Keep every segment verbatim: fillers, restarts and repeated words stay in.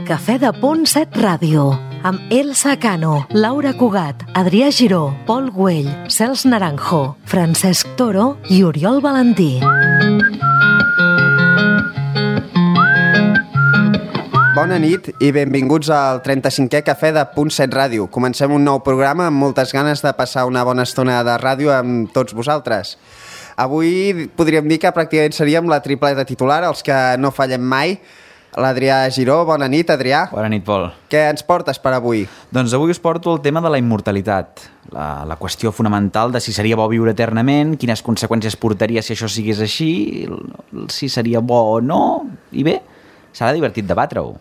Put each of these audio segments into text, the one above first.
El Cafè de Punt set Ràdio, amb Elsa Cano, Laura Cugat, Adrià Giró, Pol Güell, Cels Naranjo, Francesc Toro i Oriol Valentí. Bona nit i benvinguts al trenta-cinquè Cafè de Punt set Ràdio. Comencem un nou programa amb moltes ganes de passar una bona estona de ràdio amb tots vosaltres. Avui podríem dir que pràcticament seríem la tripleta titular, els que no fallem mai. L'Adrià Giró, bona nit, Adrià. Bona nit, Pol. Què ens portes per avui? Doncs avui us porto el tema de la immortalitat, la, la qüestió fonamental de si seria bo viure eternament, quines conseqüències portaria si això sigués així, si seria bo o no, i bé, serà divertit debatre-ho.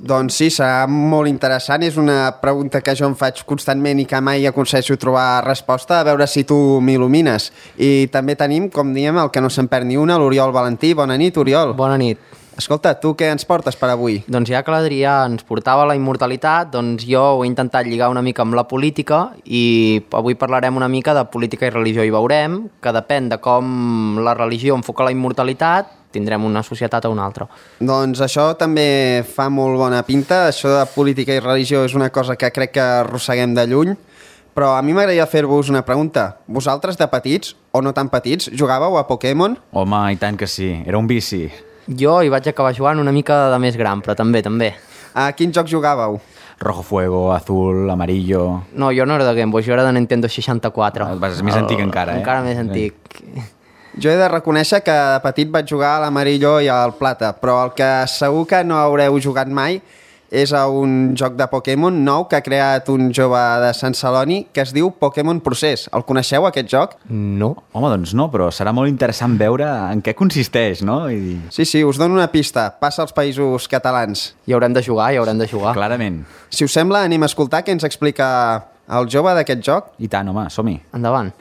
Doncs sí, serà molt interessant. És una pregunta que jo em faig constantment i que mai aconsegueixo trobar resposta, a veure si tu m'il·lumines. I també tenim, com diem, el que no se'n perd ni una, l'Oriol Valentí. Bona nit, Oriol. Bona nit. Escolta, tu què ens portes per avui? Doncs ja que l'Adrià ens portava la immortalitat, doncs jo ho he intentat lligar una mica amb la política i avui parlarem una mica de política i religió i veurem que depèn de com la religió enfoca la immortalitat, tindrem una societat o una altra. Doncs això també fa molt bona pinta. Això de política i religió és una cosa que crec que arrosseguem de lluny, però a mi m'agradaria fer-vos una pregunta. Vosaltres de petits, o no tan petits, jugàveu a Pokémon? Home, i tant que sí, era un vici. Jo hi vaig acabar jugant una mica de més gran, però també, també. A quin joc jugàveu? Rojo Fuego, Azul, Amarillo... No, jo no era de Game Boy, jo era de Nintendo seixanta-quatre. És més antic encara, eh? Encara més antic. Jo he de reconèixer que de petit vaig jugar a l'Amarillo i al Plata, però el que segur que no haureu jugat mai és a un joc de Pokémon nou que ha creat un jove de Sant Celoni que es diu Pokémon Procés. El coneixeu, aquest joc? No. Home, doncs no, però serà molt interessant veure en què consisteix, no? I... Sí, sí, us dono una pista. Passa als països catalans. Hi haurem de jugar, hi haurem de jugar. Clarament. Si us sembla, anem a escoltar què ens explica el jove d'aquest joc. I tant, home, som-hi. Endavant.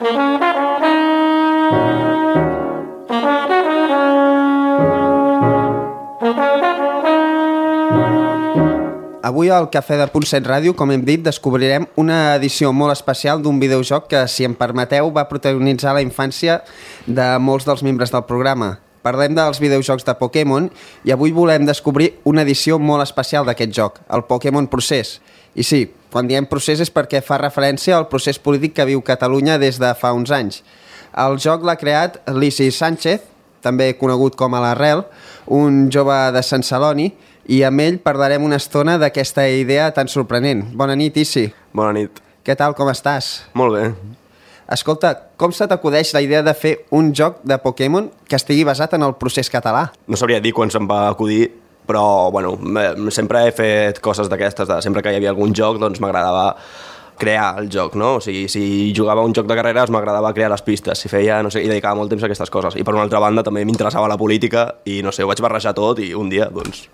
Avui al Cafè de Punt set Ràdio, com hem dit, descobrirem una edició molt especial d'un videojoc que, si em permeteu, va protagonitzar la infància de molts dels membres del programa. Parlem dels videojocs de Pokémon i avui volem descobrir una edició molt especial d'aquest joc, el Pokémon Procés. I sí, quan diem procés és perquè fa referència al procés polític que viu Catalunya des de fa uns anys. El joc l'ha creat Lisi Sánchez, també conegut com a l'Arrel, un jove de Sant Celoni, i amb ell parlarem una estona d'aquesta idea tan sorprenent. Bona nit, Isi. Bona nit. Què tal, com estàs? Molt bé. Escolta, com se t'acudeix la idea de fer un joc de Pokémon que estigui basat en el procés català? No sabria dir quan se'm va acudir, però bueno, sempre he fet coses d'aquestes. Sempre que hi havia algun joc, doncs m'agradava crear el joc, no? O sigui, si jugava un joc de carreres m'agradava crear les pistes, si feia, no sé, i dedicava molt temps a aquestes coses. I per una altra banda també m'interessava la política i no sé, ho vaig barrejar tot i un dia, doncs,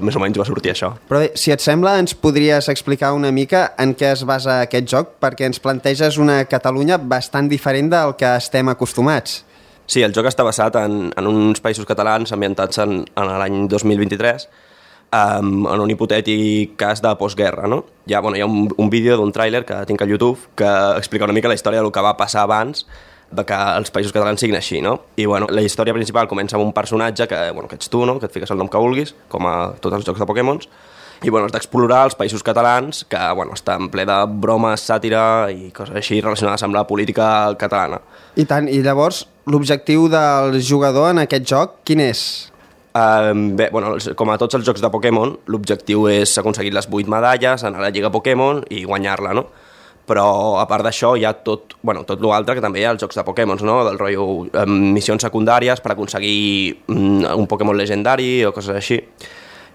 més o menys va sortir això. Però bé, si et sembla, ens podries explicar una mica en què es basa aquest joc, perquè ens planteges una Catalunya bastant diferent del que estem acostumats. Sí, el joc està basat en, en uns països catalans ambientats en, en l'any dos mil vint-i-tres, um, en un hipotètic cas de postguerra, no? Hi ha, bueno, hi ha un, un vídeo d'un tràiler que tinc a YouTube que explica una mica la història del que va passar abans de que els països catalans siguin així, no? I bueno, la història principal comença amb un personatge que, bueno, que ets tu, no? Que et fiques el nom que vulguis, com a tots els jocs de Pokémons, i bueno, has d'explorar els països catalans que, bueno, està en ple de bromes, sàtira i coses així relacionades amb la política catalana. I tant, i llavors l'objectiu del jugador en aquest joc, quin és? Uh, bé, bueno, com a tots els jocs de Pokémon, l'objectiu és aconseguir les vuit medalles, anar a la Lliga Pokémon i guanyar-la, no? Però a part d'això hi ha tot, bueno, tot l'altre que també hi ha als jocs de Pokémons, no? Del rotllo um, missions secundàries per aconseguir um, un Pokémon legendari o coses així.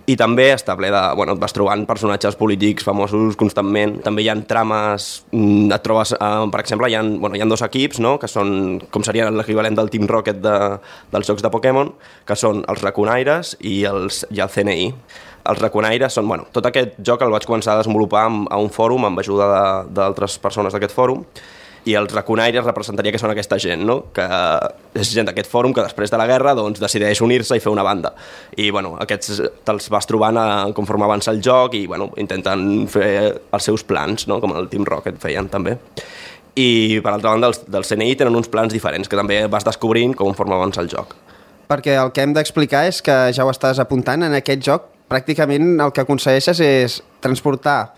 I també està ple de... Bueno, et vas trobant personatges polítics famosos constantment. També hi ha trames... Um, et trobes, uh, per exemple, hi ha, bueno, hi ha dos equips, no? Que són, com seria l'equivalent del Team Rocket de, dels jocs de Pokémon, que són els Raconaires i, els, i el C N I. Els Raconaires són... Bueno, tot aquest joc el vaig començar a desenvolupar a un fòrum amb ajuda d'altres persones d'aquest fòrum, i els Raconaires representaria que són aquesta gent, no? Que és gent d'aquest fòrum que després de la guerra doncs, decideix unir-se i fer una banda. I bueno, aquests te'ls vas trobant a, conforme avança el joc i bueno, intenten fer els seus plans, no? Com el Team Rocket feien també. I per altra banda els del C N I tenen uns plans diferents que també vas descobrint conforme avança el joc. Perquè el que hem d'explicar és que ja ho estàs apuntant, en aquest joc pràcticament el que aconsegueixes és transportar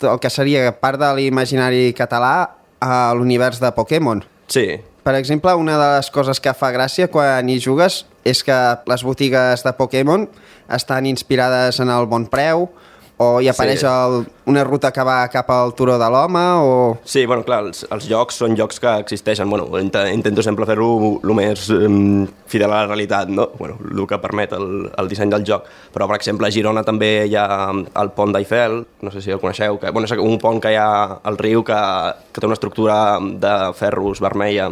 el que seria part de l'imaginari català a l'univers de Pokémon. Sí. Per exemple, una de les coses que fa gràcia quan hi jugues és que les botigues de Pokémon estan inspirades en el Bon Preu, o hi apareix Sí. el, una ruta que va cap al Turó de l'Home, o... Sí, bueno, clar, els, els jocs són jocs que existeixen. Bueno, int intento sempre fer-ho el més um, fidel a la realitat, no? Bueno, el que permet el, el disseny del joc. Però, per exemple, a Girona també hi ha el pont d'Eiffel, no sé si el coneixeu, que, bueno, és un pont que hi ha al riu que, que té una estructura de ferros vermella.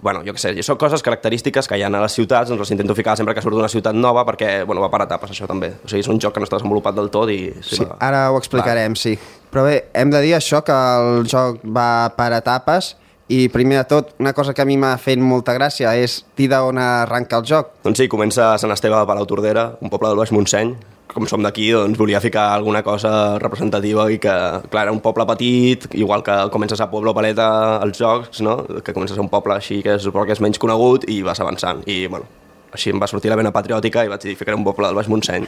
Bueno, jo què sé, són coses característiques que hi ha a les ciutats, doncs les intento ficar sempre que surt d'una ciutat nova perquè, bueno, va per etapes això també. O sigui, és un joc que no està desenvolupat del tot i... Sí, Sí, va... ara ho explicarem, sí. Però bé, hem de dir això, que el joc va per etapes i, primer de tot, una cosa que a mi m'ha fet molta gràcia és dir d'on arranca el joc. Doncs sí, comença a Sant Esteve de Palautordera, un poble del Baix Montseny. Com som d'aquí, doncs volia ficar alguna cosa representativa i que, clar, era un poble petit, igual que comences a Pueblo Paleta als jocs, no? Que comences a un poble així que és, que és menys conegut i vas avançant. I, bueno, així em va sortir la vena patriòtica i vaig dir, ficaré un poble del Baix Montseny.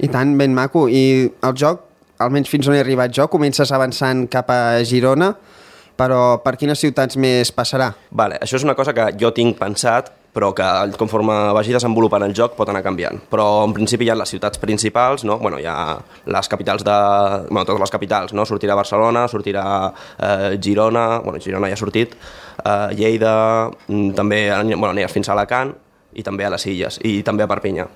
I tant, ben maco. I el joc, almenys fins on he arribat jo, comences avançant cap a Girona, però per quines ciutats més passarà? Vale, això és una cosa que jo tinc pensat, però que conforme vagi desenvolupant el joc pot anar canviant. Però en principi hi ha les ciutats principals, no? Bueno, hi ha les capitals de... Bueno, totes les capitals, no? Sortirà Barcelona, sortirà eh, Girona, bueno, Girona ja ha sortit, eh, Lleida, també bueno, aniràs fins a Alacant i també a les Illes i també a Perpinyà.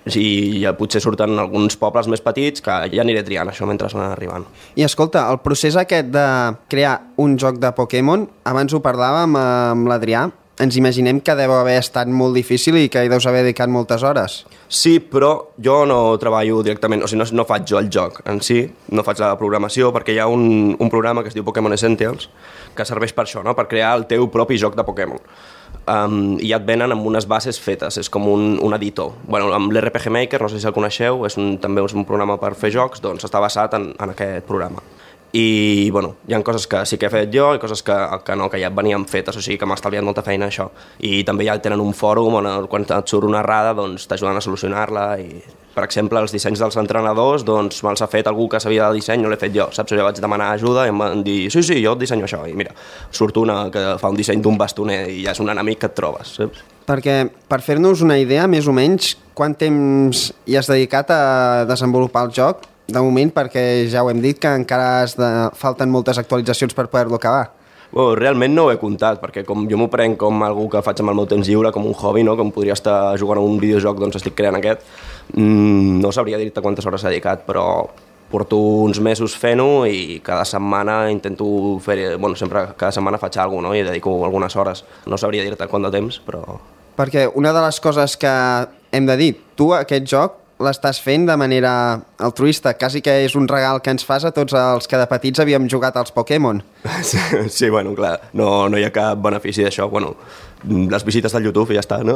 I ja potser surten alguns pobles més petits que ja aniré triant això mentre van arribant. I escolta, el procés aquest de crear un joc de Pokémon, abans ho parlàvem amb l'Adrià, ens imaginem que deu haver estat molt difícil i que hi deus haver dedicat moltes hores. Sí, però jo no treballo directament, o sigui, no, no faig jo el joc en si, no faig la programació, perquè hi ha un, un programa que es diu Pokémon Essentials, que serveix per això, no? Per crear el teu propi joc de Pokémon. Um, i ja et venen amb unes bases fetes, és com un, un editor. Bueno, amb l'R P G Maker, no sé si el coneixeu, és un, també és un programa per fer jocs, doncs està basat en, en aquest programa. I, bueno, hi ha coses que sí que he fet jo i coses que, que no, que ja venien fetes, o sigui que m'ha estalviat molta feina això. I també ja tenen un fòrum on quan et surt una errada doncs t'ajuden a solucionar-la i, per exemple, els dissenys dels entrenadors doncs me'ls ha fet algú que sabia de disseny, no l'he fet jo, saps? Jo vaig demanar ajuda i em van dir, sí, sí, jo et dissenyo això. I mira, surt una que fa un disseny d'un bastoner i ja és un enemic que et trobes, saps? Perquè, per fer-nos una idea, més o menys, quant temps hi has dedicat a desenvolupar el joc? De moment, perquè ja ho hem dit, que encara has de... falten moltes actualitzacions per poder-lo acabar. Bueno, realment no ho he comptat, perquè com jo m'ho prenc com algú que faig amb el meu temps lliure, com un hobby, no? Com podria estar jugant a un videojoc, doncs estic creant aquest. Mm, no sabria dir-te quantes hores he dedicat, però porto uns mesos fent-ho i cada setmana intento fer... Bueno, sempre cada setmana faig alguna cosa, no? I dedico algunes hores. No sabria dir-te quant de temps, però... Perquè una de les coses que hem de dir, tu aquest joc l'estàs fent de manera altruista, quasi que és un regal que ens fas a tots els que de petits havíem jugat als Pokémon. Sí, sí, bueno, clar, no, no hi ha cap benefici d'això. Bueno, les visites del YouTube i ja està, no?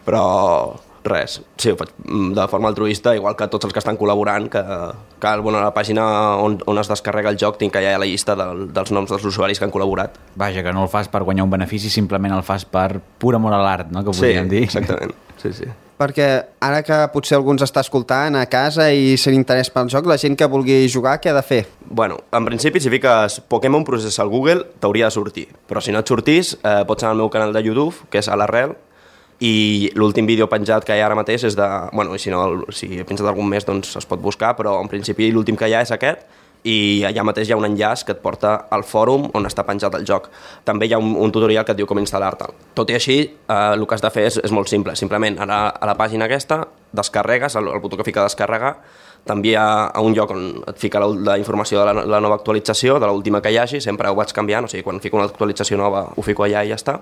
Però res, sí, ho faig de forma altruista, igual que tots els que estan col·laborant, que, que bueno, a la pàgina on, on es descarrega el joc tinc allà la llista del, dels noms dels usuaris que han col·laborat. Vaja, que no el fas per guanyar un benefici, simplement el fas per pur amor a l'art, no? Que podríem sí, dir. Exactament, sí, sí. Perquè ara que potser algú ens està escoltant a casa i sent interès pel joc, la gent que vulgui jugar, què ha de fer? Bueno, en principi, si fiques Pokémon Process al Google, t'hauria de sortir. Però si no et sortís, eh, pots anar al meu canal de YouTube, que és a l'Arrel, i l'últim vídeo penjat que hi ha ara mateix és de... Bueno, i si no, si he penjat algun mes, doncs es pot buscar, però en principi l'últim que hi ha és aquest, i allà mateix hi ha un enllaç que et porta al fòrum on està penjat el joc. També hi ha un, un tutorial que et diu com instal·lar-te'l. Tot i així, eh, el que has de fer és, és molt simple. Simplement, a la, a la pàgina aquesta, descarregues, el, el botó que fica descarregar, t'envia a un lloc on et fica la, la informació de la, la nova actualització, de l'última que hi hagi, sempre ho vaig canviant, o sigui, quan fico una actualització nova ho fico allà i ja està,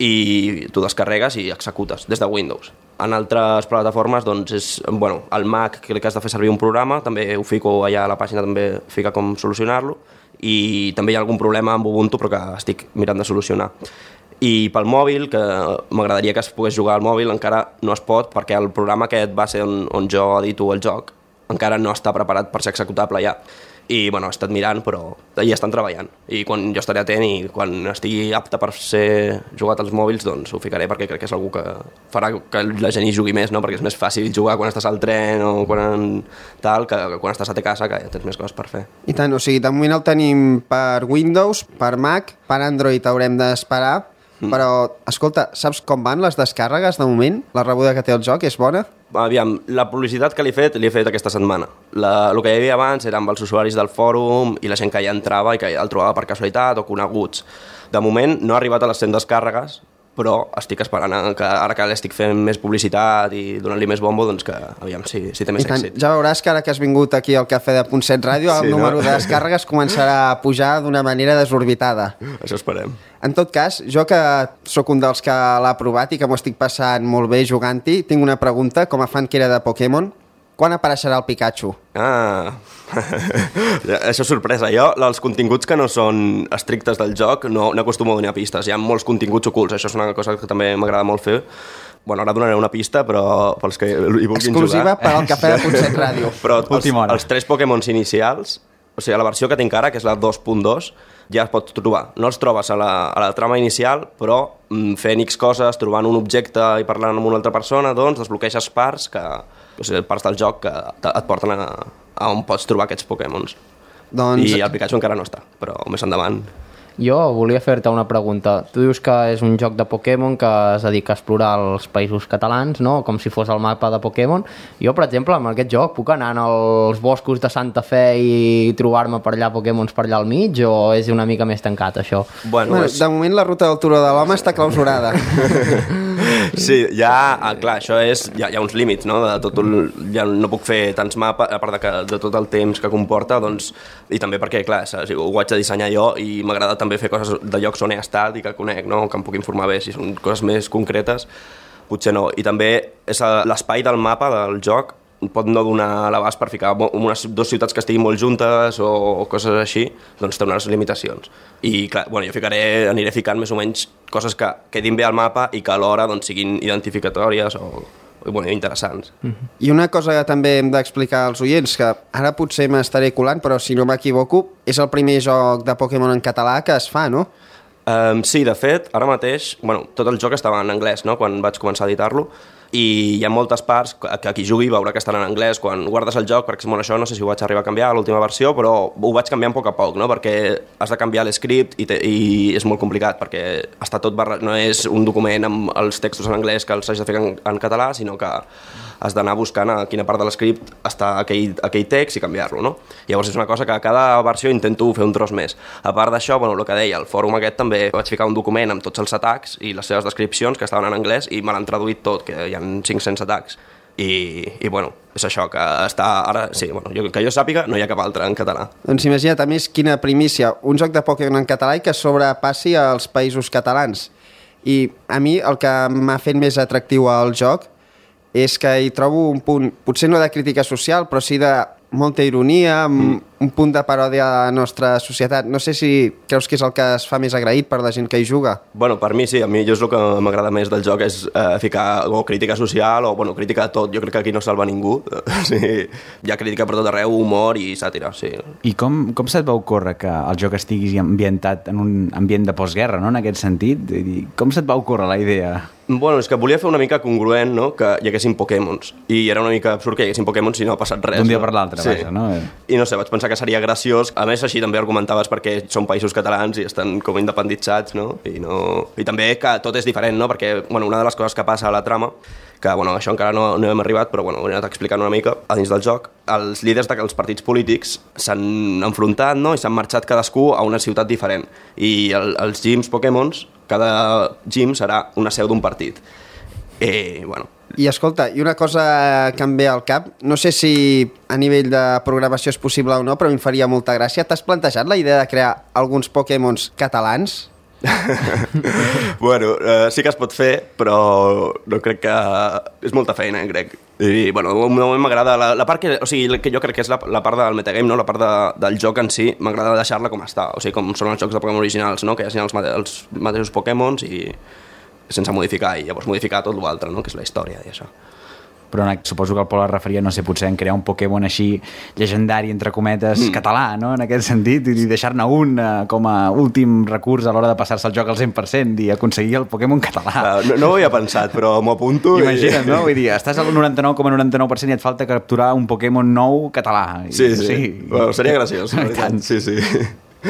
i tu descarregues i executes des de Windows. En altres plataformes, doncs, és, bueno, el Mac, que has de fer servir un programa, també ho fico allà a la pàgina, també fica com solucionar-lo, i també hi ha algun problema amb Ubuntu, però que estic mirant de solucionar. I pel mòbil, que m'agradaria que es pogués jugar al mòbil, encara no es pot, perquè el programa aquest va ser on, on jo edito el joc, encara no està preparat per ser executable ja. i bueno, he estat mirant, però hi estan treballant, i quan jo estaré atent i quan estigui apte per ser jugat als mòbils, doncs ho ficaré, perquè crec que és algú que farà que la gent hi jugui més, no? Perquè és més fàcil jugar quan estàs al tren o quan tal, que quan estàs a te casa, que ja tens més coses per fer. I tant, o sigui, de moment el tenim per Windows, per Mac, per Android haurem d'esperar, mm. però, escolta, saps com van les descàrregues de moment? La rebuda que té el joc és bona? Aviam, la publicitat que li he fet, l'he fet aquesta setmana. La, el que hi havia abans era amb els usuaris del fòrum i la gent que ja entrava i que el trobava per casualitat o coneguts. De moment no ha arribat a les cent descàrregues, però estic esperant que ara que l'estic fent més publicitat i donant-li més bombo, doncs que aviam si, si té més tant, èxit. Ja veuràs que ara que has vingut aquí al Cafè de Punt set Ràdio, el sí, número no? de descàrregues començarà a pujar d'una manera desorbitada. Això esperem. En tot cas, jo que sóc un dels que l'ha provat i que m'ho estic passant molt bé jugant-hi, tinc una pregunta, com a fan que era de Pokémon. Quan apareixerà el Pikachu? Ah, això és sorpresa. Jo, els continguts que no són estrictes del joc, no, no acostumo a donar pistes. Hi ha molts continguts ocults, això és una cosa que també m'agrada molt fer. Bueno, ara donaré una pista, però pels que hi vulguin exclusiva jugar... Exclusiva per al Cafè de Punt set Ràdio. Però els, els tres Pokémons inicials, o sigui, la versió que tinc ara, que és la dos punt dos, ja es pot trobar. No els trobes a la, a la trama inicial, però fent X coses, trobant un objecte i parlant amb una altra persona, doncs desbloqueixes parts, que, o sigui, parts del joc que et porten a, a on pots trobar aquests Pokémons. Doncs... I el Pikachu encara no està, però més endavant... Jo volia fer-te una pregunta. Tu dius que és un joc de Pokémon que es dedica a explorar els països catalans, no? Com si fos el mapa de Pokémon. Jo, per exemple, amb aquest joc puc anar als boscos de Santa Fe i trobar-me per allà Pokémons per allà al mig, o és una mica més tancat, això? Bueno, bueno és... De moment la ruta del Turó de l'Home està clausurada. Sí, ja, clar, això és... Hi ha, hi ha uns límits, no? De tot el, ja no puc fer tants mapes, a part de, que, de tot el temps que comporta, doncs... I també perquè, clar, ho haig de dissenyar jo i m'agrada també fer coses de llocs on he estat i que conec, no? Que em puc informar bé. Si són coses més concretes, potser no. I també és l'espai del mapa del joc pot no donar l'abast per ficar unes dues ciutats que estiguin molt juntes o coses així, doncs té unes limitacions. I clar, bueno, jo ficaré, aniré ficant més o menys coses que quedin bé al mapa i que alhora doncs, siguin identificatòries o bueno, interessants. Uh-huh. I una cosa que també hem d'explicar als oients, que ara potser m'estaré colant, però si no m'equivoco, és el primer joc de Pokémon en català que es fa, no? Um, sí, de fet, ara mateix, bueno, tot el joc estava en anglès, no?, quan vaig començar a editar-lo, i hi ha moltes parts que qui jugui veurà que estan en anglès quan guardes el joc, perquè bueno, això no sé si ho vaig arribar a canviar a l'última versió, però ho vaig canviant a poc a poc, no? Perquè has de canviar l'script i, te, i és molt complicat, perquè està tot barra... no és un document amb els textos en anglès que els hagis de fer en, en català, sinó que has d'anar buscant a quina part de l'script està aquell, aquell text i canviar-lo, no? Llavors és una cosa que a cada versió intento fer un tros més. A part d'això, bueno, el que deia, el fòrum aquest també vaig ficar un document amb tots els atacs i les seves descripcions que estaven en anglès i me l'han traduït tot, que hi ha cinc-cents atacs. I, i bueno, és això, que està ara... Sí, bueno, jo, que jo sàpiga, no hi ha cap altre en català. Doncs imagina't, a més, quina primícia. Un joc de Pokémon en català i que sobrepassi als països catalans. I a mi el que m'ha fet més atractiu al joc és que hi trobo un punt, potser no de crítica social, però sí de molta ironia, mm. un punt de paròdia a la nostra societat. No sé si creus que és el que es fa més agraït per la gent que hi juga. Bueno, per mi sí, a mi jo és el que m'agrada més del joc, és eh, ficar o crítica social o bueno, crítica a tot. Jo crec que aquí no salva ningú. Sí, hi ha crítica per tot arreu, humor i sàtira, sí. I com, com se't va ocórrer que el joc estigui ambientat en un ambient de postguerra, no?, en aquest sentit? Com se't va ocórrer la idea? Bueno, és que volia fer una mica congruent, no?, que hi haguessin Pokémons. I era una mica absurd que hi haguessin Pokémons si no ha passat res. D'un dia no? per l'altre, sí. Vaja, no? I no sé, vaig pensar que seria graciós. A més, així també argumentaves perquè són països catalans i estan com independitzats, no? I, no... I també que tot és diferent, no? Perquè, bueno, una de les coses que passa a la trama, que, bueno, això encara no, no hem arribat, però, bueno, ho he anat explicant una mica a dins del joc, els líders dels partits polítics s'han enfrontat, no?, i s'han marxat cadascú a una ciutat diferent. I el, els gyms Pokémons, cada gym serà una seu d'un partit. I, bueno... I escolta, i una cosa que em ve al cap, no sé si a nivell de programació és possible o no, però em faria molta gràcia. T'has plantejat la idea de crear alguns Pokémons catalans? Bueno, eh, sí que es pot fer, però no crec que... És molta feina, crec. I, bueno, de moment m'agrada... La, la part que... O sigui, que jo crec que és la, la part del metagame, no? La part de, del joc en si, m'agrada deixar-la com està. O sigui, com són els jocs de Pokémon originals, no? Que hi ha els, mate els mateixos Pokémons i... sense modificar, i llavors modificar tot l'altre, no?, que és la història i això. però suposo que el Pol es referia, no sé, potser en crear un Pokémon així llegendari, entre cometes, mm. català, no?, en aquest sentit, i deixar-ne un eh, com a últim recurs a l'hora de passar-se el joc al cent per cent i aconseguir el Pokémon català. No, no ho havia pensat, però m'ho apunto. Imagina't, i... no? Vull dir, estàs al noranta-nou coma noranta-nou per cent i et falta capturar un Pokémon nou català. Sí, sí. sí. Bueno, seria graciós. Sí, sí.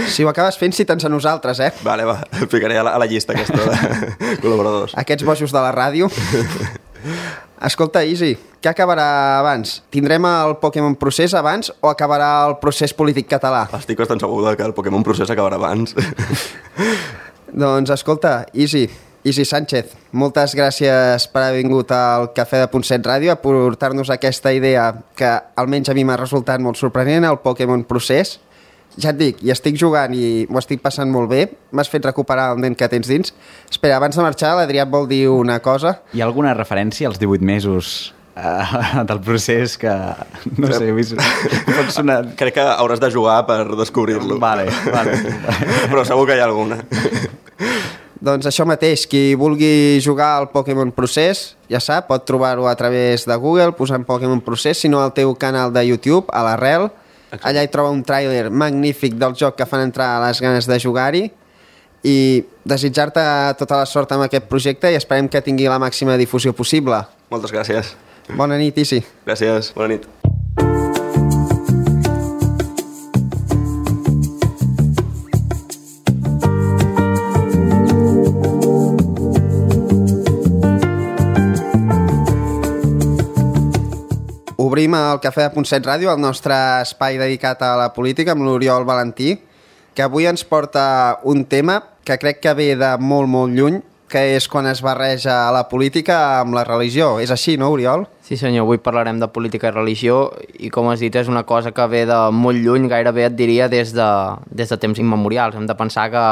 Si ho acabes fent, cita'n a nosaltres, eh? Vale, va, el ficaré a la, a la llista aquesta de col·laboradors. Aquests bojos de la ràdio. Escolta, Easy, què acabarà abans? Tindrem el Pokémon Procés abans o acabarà el procés polític català? Estic bastant segur que el Pokémon Procés acabarà abans. Doncs escolta, Easy, Easy Sánchez, moltes gràcies per haver vingut al Cafè de Punt set Ràdio a portar-nos aquesta idea que almenys a mi m'ha resultat molt sorprenent, el Pokémon Procés. Ja et dic, hi estic jugant i ho estic passant molt bé. M'has fet recuperar el nen que tens dins. Espera, abans de marxar, l'Adrià et vol dir una cosa. Hi ha alguna referència als divuit mesos uh, del procés que... No sé, he vist... Pot sonar... Crec que hauràs de jugar per descobrir-lo. Vale, vale. Però segur que hi ha alguna. Doncs això mateix, qui vulgui jugar al Pokémon Procés, ja sap, pot trobar-ho a través de Google, posant Pokémon Procés, si no al teu canal de YouTube, a l'Arrel. Exacte. Allà hi troba un tràiler magnífic del joc que fan entrar a les ganes de jugar-hi i desitjar-te tota la sort amb aquest projecte i esperem que tingui la màxima difusió possible. Moltes gràcies. Bona nit, Easy. Gràcies, bona nit. Obrim el Cafè de Punt set Ràdio, el nostre espai dedicat a la política, amb l'Oriol Valentí, que avui ens porta un tema que crec que ve de molt, molt lluny, que és quan es barreja la política amb la religió. És així, no, Oriol? Sí, senyor, avui parlarem de política i religió i, com has dit, és una cosa que ve de molt lluny, gairebé et diria des de, des de temps immemorials. Hem de pensar que,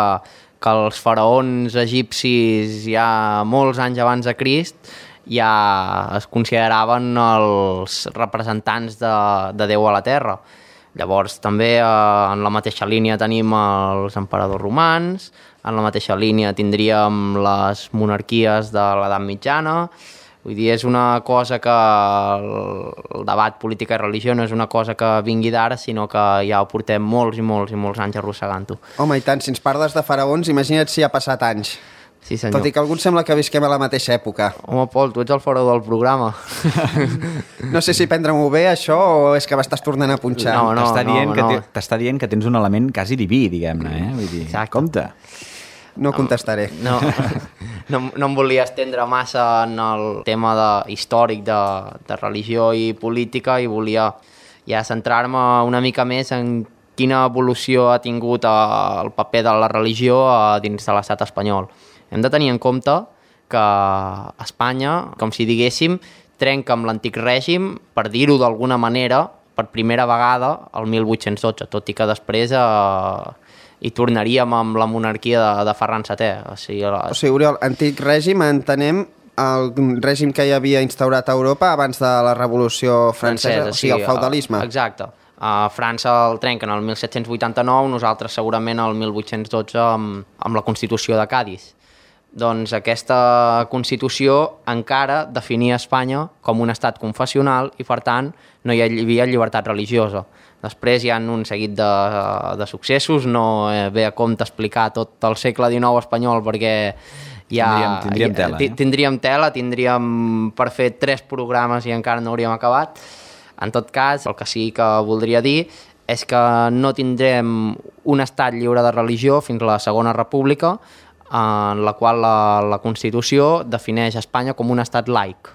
que els faraons egipcis ja molts anys abans de Crist ja es consideraven els representants de, de Déu a la Terra. Llavors també eh, en la mateixa línia tenim els emperadors romans, en la mateixa línia tindríem les monarquies de l'edat mitjana. Vull dir, és una cosa que el, el debat política i religió no és una cosa que vingui d'ara, sinó que ja ho portem molts i molts i molts anys arrossegant-ho. Home, i tant, si ens parles de faraons, imagina't si ha passat anys. Sí, senyor. Tot i que alguns sembla que visquem a la mateixa època. Home, Pol, tu ets el faraó del programa. No sé si prendre-m'ho bé, això, o és que m'estàs tornant a punxar. No, no, t'està dient, no, que no. te, t'està dient que tens un element quasi diví, diguem-ne, eh? Vull dir, exacte. Compte. No contestaré. No, no, no em volia estendre massa en el tema de, històric de, de religió i política i volia ja centrar-me una mica més en quina evolució ha tingut el paper de la religió dins de l'estat espanyol. Hem de tenir en compte que Espanya, com si diguéssim, trenca amb l'antic règim, per dir-ho d'alguna manera, per primera vegada el mil vuit-cents dotze, tot i que després eh, hi tornaríem amb la monarquia de, de Ferran setè. O sigui, la... o sigui, Oriol, antic règim entenem el règim que hi havia instaurat a Europa abans de la Revolució Francesa, Francesa o sigui, el feudalisme. Exacte. A França el trenquen el mil set-cents vuitanta-nou, nosaltres segurament el mil vuit-cents dotze amb, amb la Constitució de Cadis. Doncs aquesta Constitució encara definia Espanya com un estat confessional i, per tant, no hi havia llibertat religiosa. Després hi ha un seguit de, de successos, no ve a compte explicar tot el segle dinou espanyol perquè ja, tindríem, tindríem tela. Eh? Tindríem tela, tindríem per fer tres programes i encara no hauríem acabat. En tot cas, el que sí que voldria dir és que no tindrem un estat lliure de religió fins a la Segona República, en la qual la, la Constitució defineix Espanya com un estat laic.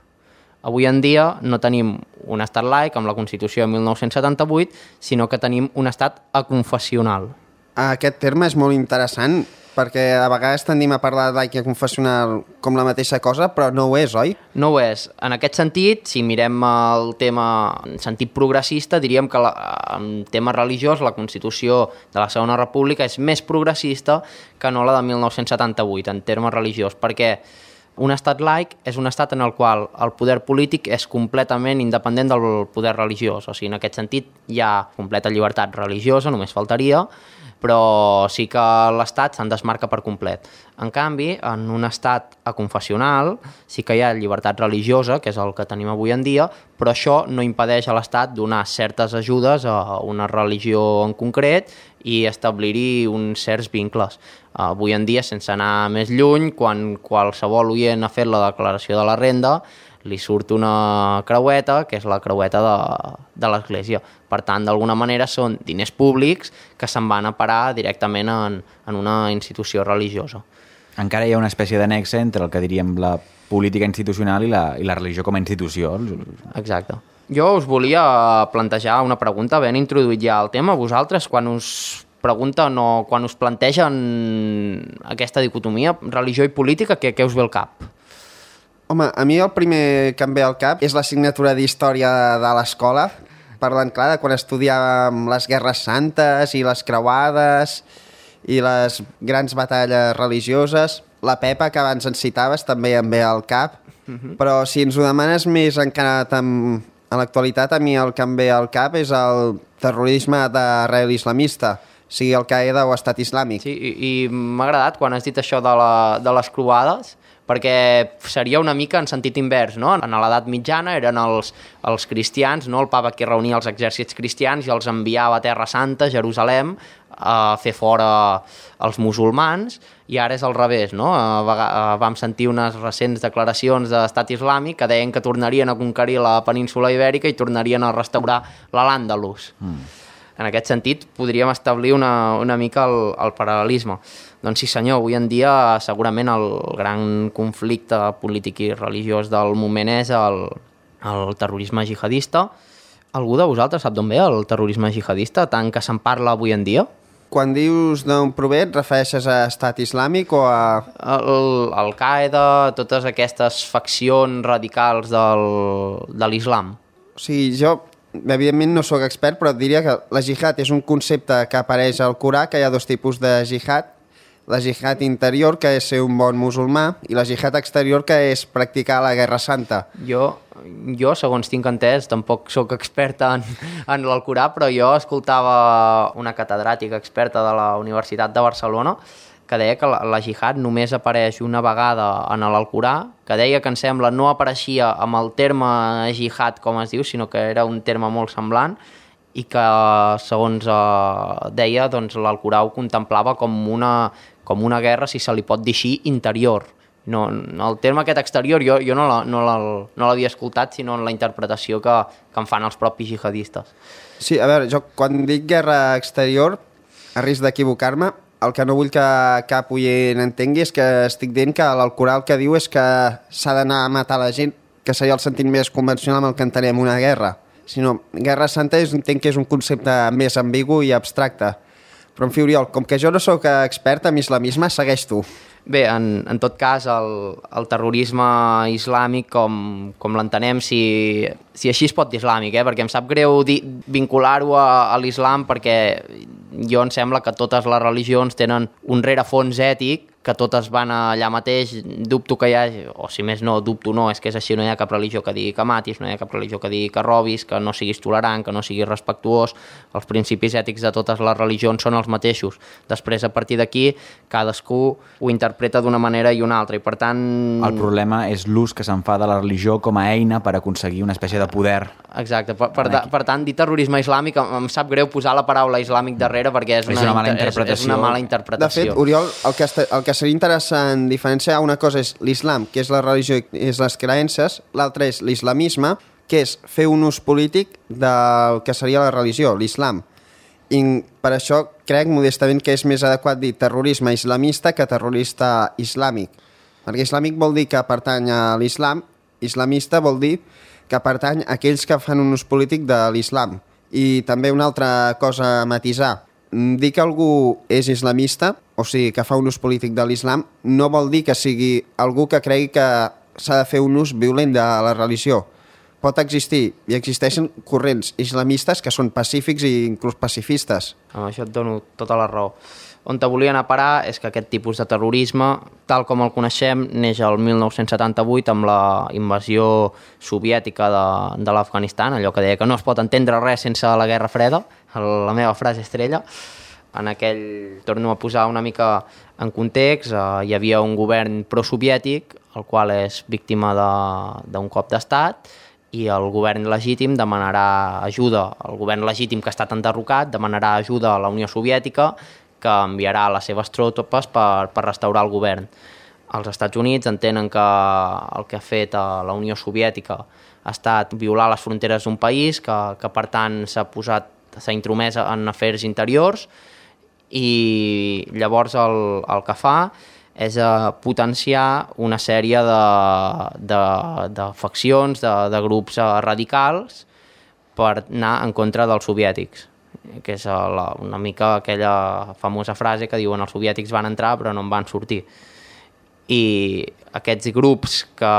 Avui en dia no tenim un estat laic amb la Constitució de mil nou-cents setanta-vuit, sinó que tenim un estat aconfessional. Aquest terme és molt interessant, perquè a vegades tendim a parlar de laic i confessional com la mateixa cosa, però no ho és, oi? No ho és. En aquest sentit, si mirem el tema en sentit progressista, diríem que la, en tema religiós la Constitució de la Segona República és més progressista que no la de mil nou-cents setanta-vuit en termes religiós, perquè un estat laic és un estat en el qual el poder polític és completament independent del poder religiós. O sigui, en aquest sentit hi ha completa llibertat religiosa, només faltaria, però sí que l'Estat se'n desmarca per complet. En canvi, en un estat aconfessional sí que hi ha llibertat religiosa, que és el que tenim avui en dia, però això no impedeix a l'Estat donar certes ajudes a una religió en concret i establir-hi uns certs vincles. Avui en dia, sense anar més lluny, quan qualsevol oient ha fet la declaració de la renda, li surt una creueta, que és la creueta de, de l'Església. Per tant, d'alguna manera són diners públics que se'n van a parar directament en, en una institució religiosa. Encara hi ha una espècie de nexe entre el que diríem la política institucional i la, i la religió com a institució. Exacte. Jo us volia plantejar una pregunta, ben introduït ja el tema. Vosaltres, quan us pregunten o quan us plantegen aquesta dicotomia, religió i política, què, què us ve al cap? Home, a mi el primer que em ve al cap és l'assignatura d'història de l'escola, parlant, clar, de quan estudiàvem les guerres santes i les creuades i les grans batalles religioses. La Pepa, que abans ens citaves, també em ve al cap, uh-huh. Però si ens ho demanes més encara tam... a l'actualitat, a mi el que em ve al cap és el terrorisme d'arrel islamista, sigui Al-Qaeda o Estat Islàmic. Sí, i, i m'ha agradat quan has dit això de, la, de les croades, perquè seria una mica en sentit invers, no? En l'edat mitjana eren els, els cristians, no? El papa que reunia els exèrcits cristians i els enviava a Terra Santa, Jerusalem, a fer fora els musulmans, i ara és al revés, no? Vam sentir unes recents declaracions de l'Estat Islàmic que deien que tornarien a conquerir la península Ibèrica i tornarien a restaurar l'Al-Àndalus. Mm. En aquest sentit, podríem establir una, una mica el, el paral·lelisme. Doncs sí senyor, avui en dia segurament el gran conflicte polític i religiós del moment és el, el terrorisme jihadista. Algú de vosaltres sap d'on ve el terrorisme jihadista, tant que se'n parla avui en dia? Quan dius d'on prové, et refereixes a Estat Islàmic o a... El, Al-Qaeda, totes aquestes faccions radicals del, de l'islam. O sigui, jo... Evidentment no sóc expert, però et diria que la jihad és un concepte que apareix al Corà, que hi ha dos tipus de jihad. La jihad interior, que és ser un bon musulmà, i la jihad exterior, que és practicar la Guerra Santa. Jo, jo segons tinc entès, tampoc sóc experta en, en l'Alcorà, però jo escoltava una catedràtica experta de la Universitat de Barcelona que deia que la, la jihad només apareix una vegada en l'Alcorà, que deia que em sembla no apareixia amb el terme jihad com es diu, sinó que era un terme molt semblant i que segons eh, deia doncs, l'Alcorà ho contemplava com una, com una guerra, si se li pot dir així, interior. No, el terme aquest exterior jo, jo no l'havia no no escoltat, sinó en la interpretació que, que en fan els propis jihadistes. Sí, a veure, jo quan dic guerra exterior, a risc d'equivocar-me, el que no vull que cap oient entengui és que estic dient que l'Alcorà el que diu és que s'ha d'anar a matar la gent, que seria el sentit més convencional amb el que entenem una guerra. Sinó, Guerra Santa és, entenc que és un concepte més ambigu i abstracte. Però, en fi, Oriol, com que jo no sóc expert en islamisme, segueix tu. Bé, en, en tot cas, el, el terrorisme islàmic, com, com l'entenem, si, si així es pot dir islàmic, eh? Perquè em sap greu vincular-ho a, a l'islam, perquè jo em sembla que totes les religions tenen un rerefons ètic, que totes van allà mateix, dubto que hi hagi, o si més no, dubto no, és que és així, no hi ha cap religió que digui que matis, no hi ha cap religió que digui que robis, que no siguis tolerant, que no siguis respectuós, els principis ètics de totes les religions són els mateixos. Després, a partir d'aquí, cadascú ho interpreta d'una manera i una altra, i per tant... El problema és l'ús que se'n fa de la religió com a eina per aconseguir una espècie de poder. Exacte, per, per, per tant, dir terrorisme islàmic, em sap greu posar la paraula islàmic darrere, perquè és una, és una mala interpretació. És, és una mala interpretació. De fet, Oriol, el que, el que seria interessant diferenciar, una cosa és l'islam, que és la religió i és les creences, l'altra és l'islamisme, que és fer un ús polític del que seria la religió, l'islam. I per això crec modestament que és més adequat dir terrorisme islamista que terrorista islàmic. Perquè islàmic vol dir que pertany a l'islam, islamista vol dir que pertany a aquells que fan un ús polític de l'islam. I també una altra cosa a matisar. Dir que algú és islamista, o sigui, que fa un ús polític de l'islam, no vol dir que sigui algú que cregui que s'ha de fer un ús violent de la religió. Pot existir, i existeixen corrents islamistes que són pacífics i inclús pacifistes. Amb això et dono tota la raó. On te volia anar a parar és que aquest tipus de terrorisme, tal com el coneixem, neix el mil nou-cents setanta-vuit amb la invasió soviètica de, de l'Afganistan, allò que deia que no es pot entendre res sense la Guerra Freda, la meva frase estrella. En aquell, torno a posar una mica en context, eh, hi havia un govern prosoviètic, el qual és víctima d'un cop d'estat, i el govern legítim demanarà ajuda, el govern legítim que ha estat enderrocat demanarà ajuda a la Unió Soviètica, que enviarà les seves tropes per, per restaurar el govern. Els Estats Units entenen que el que ha fet a la Unió Soviètica ha estat violar les fronteres d'un país, que, que per tant s'ha posat, s'ha intromès en afers interiors, i llavors el, el que fa és uh, potenciar una sèrie de, de, de faccions, de, de grups uh, radicals per anar en contra dels soviètics, que és uh, la, una mica aquella famosa frase que diuen els soviètics van entrar però no en van sortir. I aquests grups que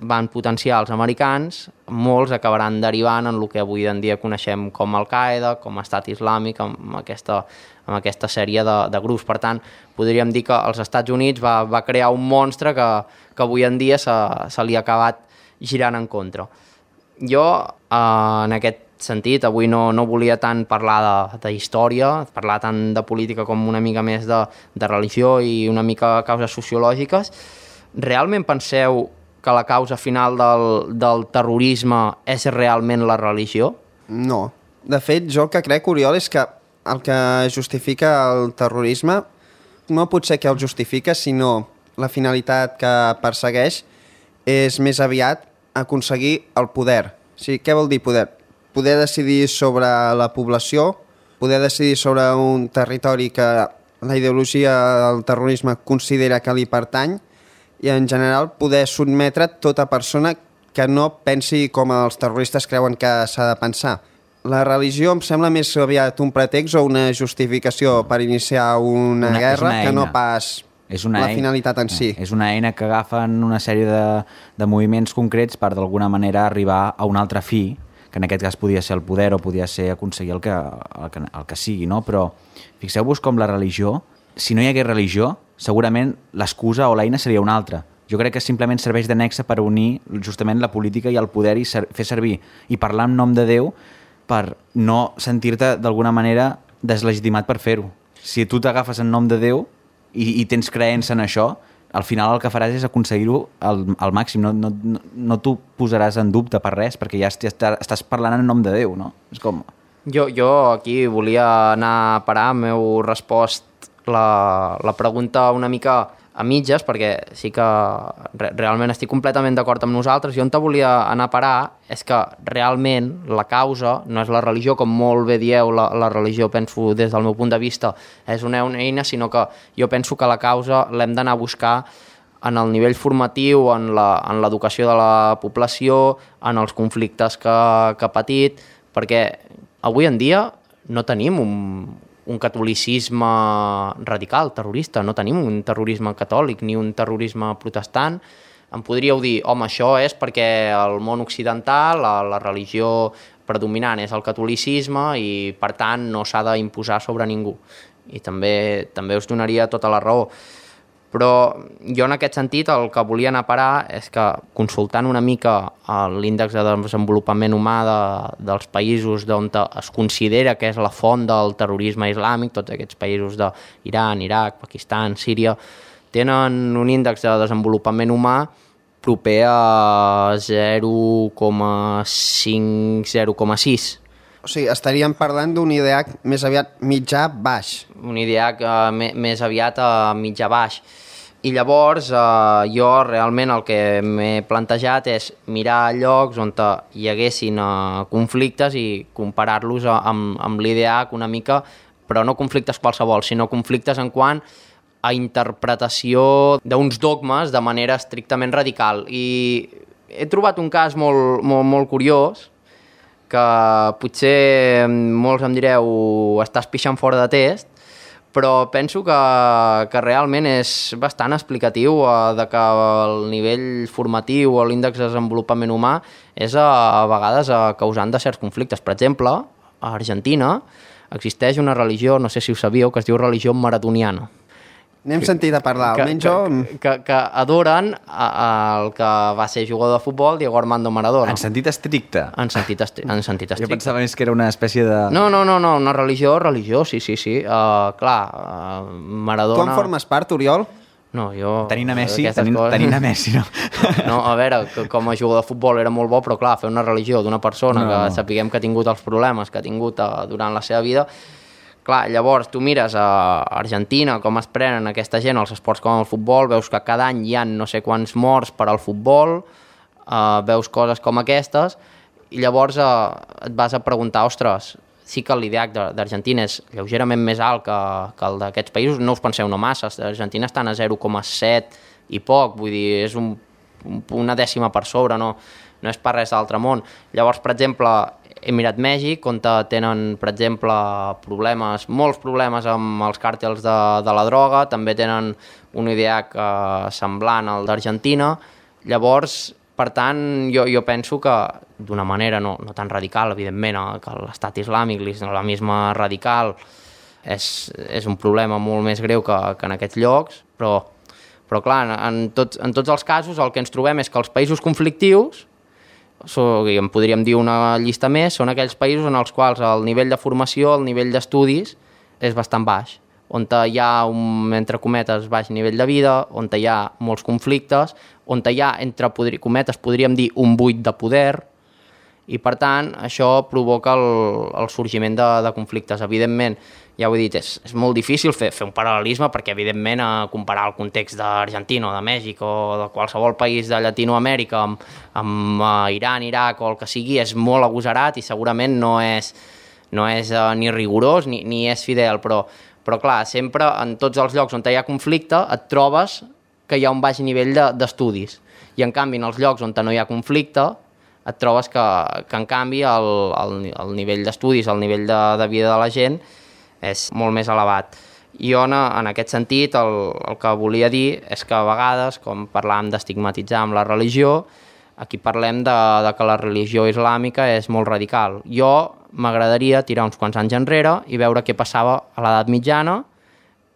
van potenciar els americans, molts acabaran derivant en el que avui en dia coneixem com Al-Qaeda, com Estat Islàmic, amb aquesta, amb aquesta sèrie de, de grups. Per tant, podríem dir que els Estats Units va, va crear un monstre que, que avui en dia se, se li ha acabat girant en contra. Jo, eh, en aquest sentit, avui no, no volia tant parlar de, de història, parlar tant de política com una mica més de, de religió i una mica de causes sociològiques. Realment penseu que la causa final del, del terrorisme és realment la religió? No. De fet, jo el que crec, Oriol, és que el que justifica el terrorisme no pot ser que el justifica, sinó la finalitat que persegueix és més aviat aconseguir el poder. O sigui, què vol dir poder? Poder decidir sobre la població, poder decidir sobre un territori que la ideologia del terrorisme considera que li pertany, i en general poder sotmetre tota persona que no pensi com els terroristes creuen que s'ha de pensar. La religió em sembla més aviat un pretext o una justificació per iniciar una, una guerra una que no pas és una la eina, finalitat en si. És una eina que agafen una sèrie de, de moviments concrets per d'alguna manera arribar a un altre fi, que en aquest cas podia ser el poder o podia ser aconseguir el que, el que, el que sigui, no? Però fixeu-vos com la religió, si no hi hagués religió, segurament l'excusa o l'eina seria una altra. Jo crec que simplement serveix de nexe per unir justament la política i el poder i ser, fer servir i parlar en nom de Déu per no sentir-te d'alguna manera deslegitimat per fer-ho. Si tu t'agafes en nom de Déu i, i tens creença en això, al final el que faràs és aconseguir-ho al, al màxim. No, no, no, no t'ho posaràs en dubte per res, perquè ja estàs parlant en nom de Déu, no? És com... Jo, jo aquí volia anar a parar, m'heu respost La, la pregunta una mica a mitges, perquè sí que re, realment estic completament d'acord amb nosaltres. Jo on te volia anar a parar és que realment la causa no és la religió, com molt bé dieu, la, la religió, penso, des del meu punt de vista, és una eina, sinó que jo penso que la causa l'hem d'anar a buscar en el nivell formatiu, en l'educació de la població, en els conflictes que, que ha patit, perquè avui en dia no tenim un un catolicisme radical, terrorista. No tenim un terrorisme catòlic ni un terrorisme protestant. Em podríeu dir, home, això és perquè el món occidental, la, la religió predominant és el catolicisme i, per tant, no s'ha d'imposar sobre ningú. I també, també us donaria tota la raó. Però jo en aquest sentit el que volia anar a parar és que consultant una mica l'índex de desenvolupament humà de, dels països on es considera que és la font del terrorisme islàmic, tots aquests països d'Iran, Iraq, Pakistan, Síria, tenen un índex de desenvolupament humà proper a zero coma cinc a zero coma sis. O sigui, estaríem parlant d'un I D H més aviat mitjà-baix. Un I D H uh, més aviat a uh, mitjà-baix. I llavors uh, jo realment el que m'he plantejat és mirar llocs on hi haguessin uh, conflictes i comparar-los uh, amb, amb l'I D H una mica, però no conflictes qualsevol, sinó conflictes en quant a interpretació d'uns dogmes de manera estrictament radical. I he trobat un cas molt, molt, molt curiós, que potser molts em direu estàs pixant fora de test, però penso que, que realment és bastant explicatiu eh, de que el nivell formatiu o l'índex de desenvolupament humà és a, a vegades a, causant de certs conflictes. Per exemple, a Argentina existeix una religió, no sé si ho sabíeu, que es diu religió maratoniana, N'hem sentit a parlar, que, almenys jo... que, que, que adoren a, a el que va ser jugador de futbol, Diego Armando Maradona. En sentit estricte. En sentit, estri en sentit estricte. Jo pensava més que era una espècie de... No, no, no, no, una religió, religió, sí, sí, sí. Uh, clar, uh, Maradona... Tu en formes part, Oriol? No, jo... Tenint a Messi, tenint, coses... tenint a Messi, no? No, a veure, que com a jugador de futbol era molt bo, però clar, fer una religió d'una persona no. que sapiguem que ha tingut els problemes que ha tingut uh, durant la seva vida... Clar, llavors tu mires a Argentina com es prenen aquesta gent als esports com el futbol, veus que cada any hi ha no sé quants morts per al futbol, uh, veus coses com aquestes, i llavors uh, et vas a preguntar, ostres, sí que l'I D H d'Argentina és lleugerament més alt que, que el d'aquests països, no us penseu no massa, Argentina estan a zero coma set i poc, vull dir, és un, una dècima per sobre, no, no és per res d'altre món. Llavors, per exemple, he mirat Mèxic, on tenen, per exemple, problemes, molts problemes amb els càrtels de, de la droga, també tenen un I D H eh, semblant al d'Argentina. Llavors, per tant, jo, jo penso que d'una manera no, no tan radical, evidentment, eh, que l'estat islàmic, l'islamisme radical, és, és un problema molt més greu que, que en aquests llocs, però, però clar, en, tots, en tots els casos el que ens trobem és que els països conflictius, so, en podríem dir una llista més, són aquells països en els quals el nivell de formació, el nivell d'estudis és bastant baix, on hi ha un, entre cometes, baix nivell de vida, on hi ha molts conflictes, on hi ha, entre cometes, podríem dir un buit de poder, i per tant això provoca el, el sorgiment de, de conflictes. Evidentment, ja ho he dit, és, és molt difícil fer, fer un paral·lelisme perquè evidentment a comparar el context d'Argentina o de Mèxic o de qualsevol país de Llatinoamèrica amb, amb uh, Iran, Iraq o el que sigui és molt agosarat i segurament no és, no és uh, ni rigorós ni, ni és fidel, però, però clar, sempre en tots els llocs on hi ha conflicte et trobes que hi ha un baix nivell d'estudis de, i en canvi en els llocs on no hi ha conflicte et trobes que, que en canvi el, el, el nivell d'estudis, el nivell de, de vida de la gent és molt més elevat. I jo, en aquest sentit, el, el que volia dir és que a vegades, com parlàvem d'estigmatitzar amb la religió, aquí parlem de, de que la religió islàmica és molt radical. Jo m'agradaria tirar uns quants anys enrere i veure què passava a l'edat mitjana,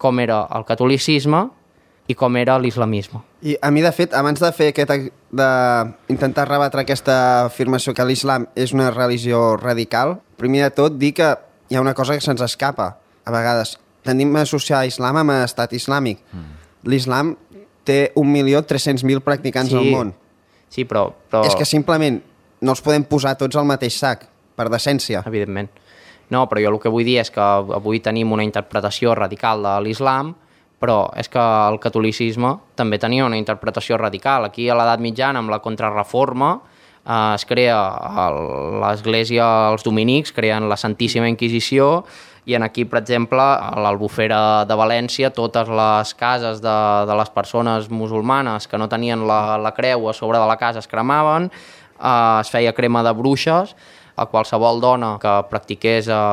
com era el catolicisme i com era l'islamisme. I a mi, de fet, abans de fer aquest, d'intentar rebatre aquesta afirmació que l'islam és una religió radical, primer de tot dir que hi ha una cosa que se'ns escapa. A vegades tenim a associar l'islam amb l'estat islàmic. Mm. L'islam té un milió tres-cents mil practicants sí, al món. Sí, però, però... És que simplement no els podem posar tots al mateix sac, per decència. Evidentment. No, però jo el que vull dir és que avui tenim una interpretació radical de l'islam, però és que el catolicisme també tenia una interpretació radical. Aquí a l'edat mitjana, amb la contrarreforma, eh, es crea l'església, els dominics, creen la Santíssima Inquisició, i en aquí, per exemple, a l'Albufera de València, totes les cases de, de les persones musulmanes que no tenien la, la creu a sobre de la casa es cremaven, eh, es feia crema de bruixes, a qualsevol dona que practiqués eh,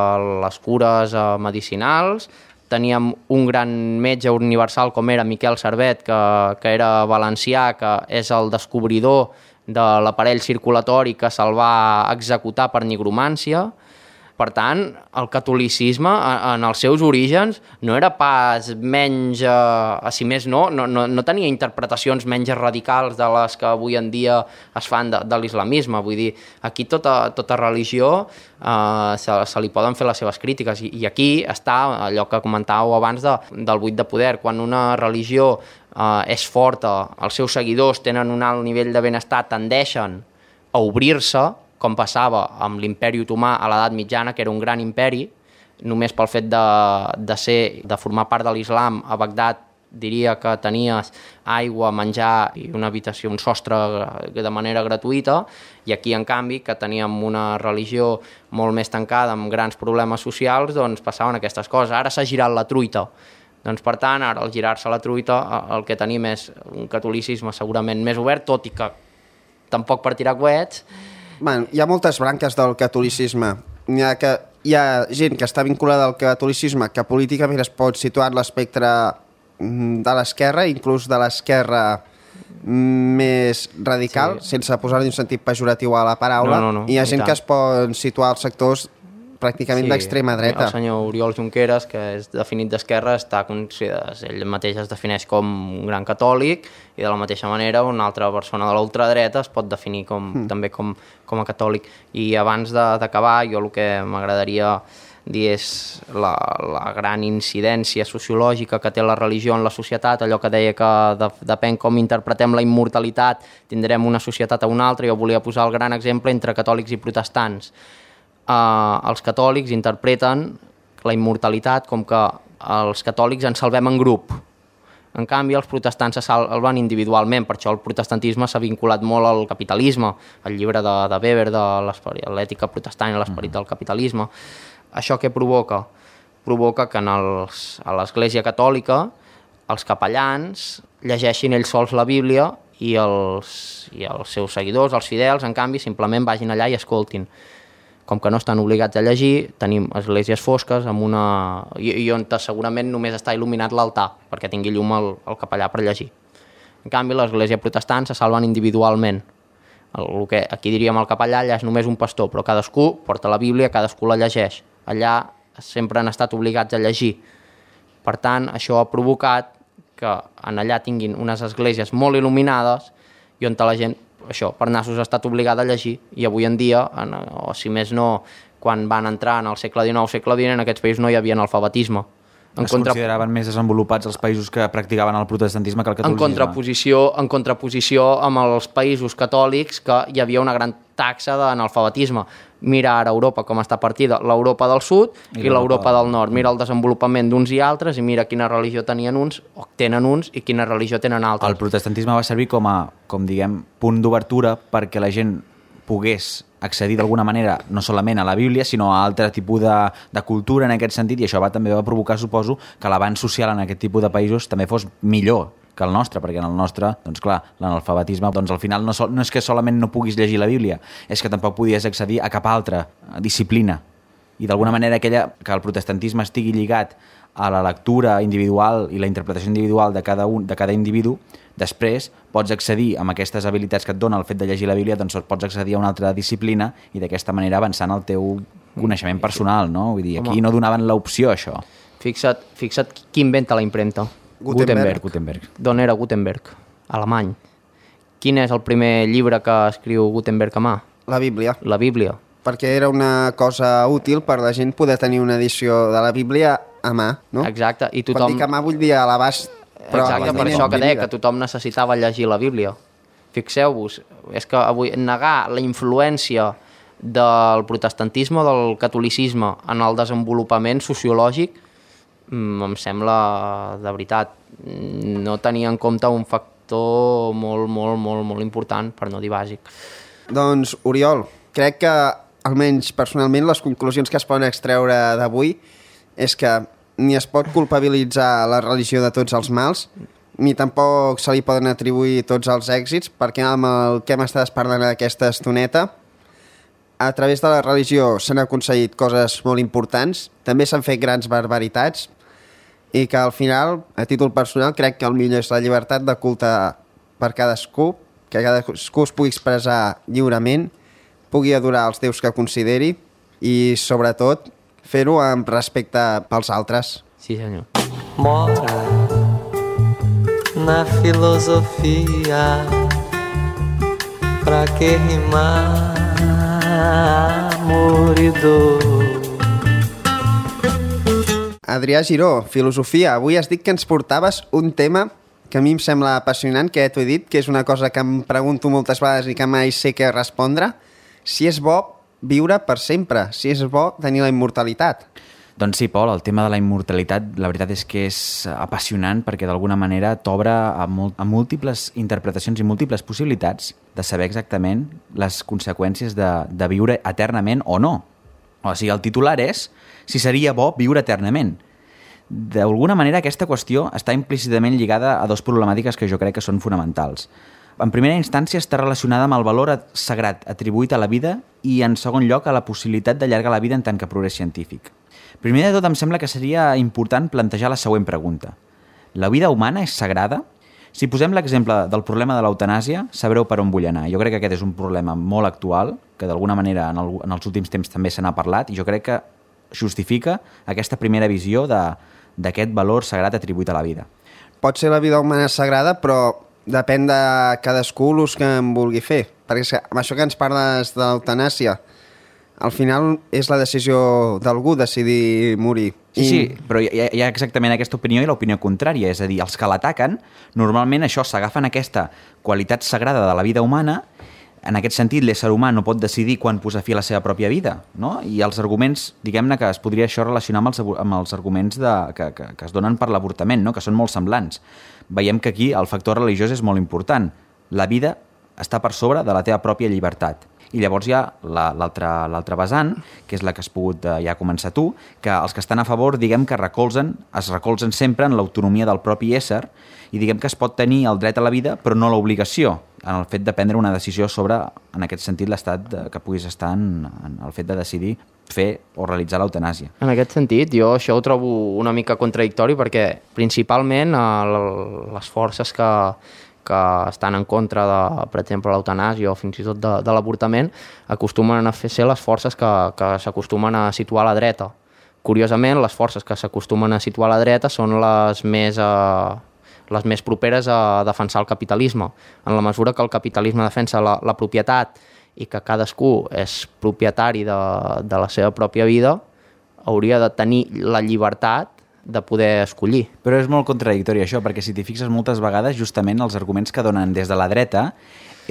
les cures eh, medicinals. Teníem un gran metge universal com era Miquel Servet, que, que era valencià, que és el descobridor de l'aparell circulatori que se'l va executar per nigromància. Per tant, el catolicisme, en els seus orígens, no era pas menys, eh, si més no, no, no, no tenia interpretacions menys radicals de les que avui en dia es fan de, de l'islamisme. Vull dir, aquí tota, tota religió eh, se, se li poden fer les seves crítiques, i, i aquí està allò que comentàveu abans de, del buit de poder. Quan una religió eh, és forta, els seus seguidors tenen un alt nivell de benestar, tendeixen a obrir-se, com passava amb l'imperi otomà a l'edat mitjana, que era un gran imperi, només pel fet de, de, ser, de formar part de l'islam. A Bagdad diria que tenies aigua, menjar i una habitació, un sostre de manera gratuïta, i aquí, en canvi, que teníem una religió molt més tancada, amb grans problemes socials, doncs passaven aquestes coses. Ara s'ha girat la truita. Doncs, per tant, ara, al girar-se la truita, el que tenim és un catolicisme segurament més obert, tot i que tampoc per tirar coets. Bueno, hi ha moltes branques del catolicisme. Hi ha, que, hi ha gent que està vinculada al catolicisme que políticament es pot situar en l'espectre de l'esquerra, inclús de l'esquerra més radical, sí, sense posar-hi un sentit pejoratiu a la paraula. No, no, no, hi ha gent que es pot situar als sectors pràcticament sí, d'extrema dreta. El senyor Oriol Junqueras, que és definit d'esquerra, està considerat, ell mateix es defineix com un gran catòlic, i de la mateixa manera una altra persona de l'ultradreta es pot definir com, mm. també com, com a catòlic. I abans d'acabar, jo el que m'agradaria dir és la, la gran incidència sociològica que té la religió en la societat, allò que deia que de, depèn com interpretem la immortalitat, tindrem una societat a una altra. Jo volia posar el gran exemple entre catòlics i protestants. Uh, els catòlics interpreten la immortalitat com que els catòlics ens salvem en grup. En canvi, els protestants se salven individualment, per això el protestantisme s'ha vinculat molt al capitalisme, el llibre de, de Weber, de l'ètica protestant i l'esperit del capitalisme. Això què provoca? Provoca que en els, a l'Església Catòlica els capellans llegeixin ells sols la Bíblia i els, i els seus seguidors, els fidels, en canvi, simplement vagin allà i escoltin. Com que no estan obligats a llegir, tenim esglésies fosques amb una... i, i on segurament només està il·luminat l'altar perquè tingui llum el, el capellà per llegir. En canvi, l'Església Protestant se salven individualment. El, el que aquí diríem el capellà, allà és només un pastor, però cadascú porta la Bíblia, cadascú la llegeix. Allà sempre han estat obligats a llegir. Per tant, això ha provocat que en allà tinguin unes esglésies molt il·luminades i on la gent, això, per nassos ha estat obligada a llegir. I avui en dia, en, o si més no, quan van entrar en el segle dinou, segle vint, en aquests països no hi havia analfabetisme. En es contra... consideraven més desenvolupats els països que practicaven el protestantisme que el catolicisme. En contraposició, en contraposició amb els països catòlics, que hi havia una gran taxa d'analfabetisme. Mira ara Europa com està partida, l'Europa del sud i, i l'Europa del nord. Mira el desenvolupament d'uns i altres i mira quina religió tenien uns, o tenen uns, i quina religió tenen altres. El protestantisme va servir com a, com diguem, punt d'obertura perquè la gent pogués accedir d'alguna manera no solament a la Bíblia, sinó a altre tipus de, de cultura en aquest sentit, i això va, també va provocar, suposo, que l'avanç social en aquest tipus de països també fos millor que el nostre, perquè en el nostre, doncs clar, l'analfabetisme, doncs al final no, so, no és que solament no puguis llegir la Bíblia, és que tampoc podies accedir a cap altra disciplina. I d'alguna manera aquella, que el protestantisme estigui lligat a la lectura individual i la interpretació individual de cada, un, de cada individu, després pots accedir amb aquestes habilitats que et dona el fet de llegir la Bíblia, doncs pots accedir a una altra disciplina i d'aquesta manera avançant el teu coneixement personal, no? Vull dir, aquí no donaven l'opció, això. Fixa't, fixa't qui inventa la impremta. Gutenberg. Gutenberg. D'on era Gutenberg? Alemany. Quin és el primer llibre que escriu Gutenberg a mà? La Bíblia. La Bíblia. Perquè era una cosa útil per la gent poder tenir una edició de la Bíblia a mà, no? Exacte. I tothom... Quan dic a mà vull dir a l'abast. Exacte, per això que deia que tothom necessitava llegir la Bíblia. Fixeu-vos, és que avui negar la influència del protestantisme o del catolicisme en el desenvolupament sociològic em sembla, de veritat, no tenir en compte un factor molt, molt, molt, molt important, per no dir bàsic. Doncs, Oriol, crec que, almenys personalment, les conclusions que es poden extreure d'avui és que ni es pot culpabilitzar la religió de tots els mals, ni tampoc se li poden atribuir tots els èxits, perquè amb el que hem estat parlant aquesta estoneta, a través de la religió s'han aconseguit coses molt importants, també s'han fet grans barbaritats, i que al final, a títol personal, crec que el millor és la llibertat de culte per cadascú, que cadascú es pugui expressar lliurement, pugui adorar els déus que consideri i, sobretot, fer-ho amb respecte pels altres. Sí, senyor. Mora na filosofia, pra que rimar amor e dor. Adrià Giró, filosofia. Avui has dit que ens portaves un tema que a mi em sembla apassionant, que ja t'ho he dit, que és una cosa que em pregunto moltes vegades i que mai sé què respondre. Si és bo viure per sempre, si és bo tenir la immortalitat. Doncs sí, Pol, el tema de la immortalitat, la veritat és que és apassionant perquè d'alguna manera t'obre a, molt, a múltiples interpretacions i múltiples possibilitats de saber exactament les conseqüències de, de viure eternament o no. O sigui, el titular és si seria bo viure eternament. D'alguna manera aquesta qüestió està implícitament lligada a dues problemàtiques que jo crec que són fonamentals. En primera instància està relacionada amb el valor sagrat atribuït a la vida i en segon lloc a la possibilitat d'allargar la vida en tant que progrés científic. Primer de tot em sembla que seria important plantejar la següent pregunta. La vida humana és sagrada? Si posem l'exemple del problema de l'eutanàsia, sabreu per on vull anar. Jo crec que aquest és un problema molt actual, que d'alguna manera en, el, en els últims temps també se n'ha parlat, i jo crec que justifica aquesta primera visió d'aquest valor sagrat atribuït a la vida. Pot ser la vida humana sagrada, però depèn de cadascú l'ús que en vulgui fer. Perquè amb això que ens parles de l'eutanàsia, al final és la decisió d'algú decidir morir. Sí, I... sí, però hi ha, hi ha exactament aquesta opinió i l'opinió contrària. És a dir, els que l'ataquen, normalment això s'agafen aquesta qualitat sagrada de la vida humana. En aquest sentit, l'ésser humà no pot decidir quan posar fi a la seva pròpia vida, no? I els arguments, diguem-ne que es podria això relacionar amb els, amb els arguments de, que, que, que es donen per l'avortament, no? Que són molt semblants. Veiem que aquí el factor religiós és molt important. La vida està per sobre de la teva pròpia llibertat. I llavors hi ha l'altra l'altra vessant, que és la que has pogut eh, ja començar tu, que els que estan a favor, diguem que recolzen, es recolzen sempre en l'autonomia del propi ésser i diguem que es pot tenir el dret a la vida però no l'obligació, en el fet de prendre una decisió sobre, en aquest sentit, l'estat que puguis estar en, en el fet de decidir fer o realitzar l'eutanàsia. En aquest sentit, jo això ho trobo una mica contradictori perquè principalment eh, les forces que que estan en contra de, per exemple, l'eutanàsia o fins i tot de, de l'avortament, acostumen a fer ser les forces que, que s'acostumen a situar a la dreta. Curiosament, les forces que s'acostumen a situar a la dreta són les més, eh, les més properes a defensar el capitalisme. En la mesura que el capitalisme defensa la, la propietat i que cadascú és propietari de, de la seva pròpia vida, hauria de tenir la llibertat de poder escollir. Però és molt contradictori això, perquè si t'hi fixes moltes vegades, justament els arguments que donen des de la dreta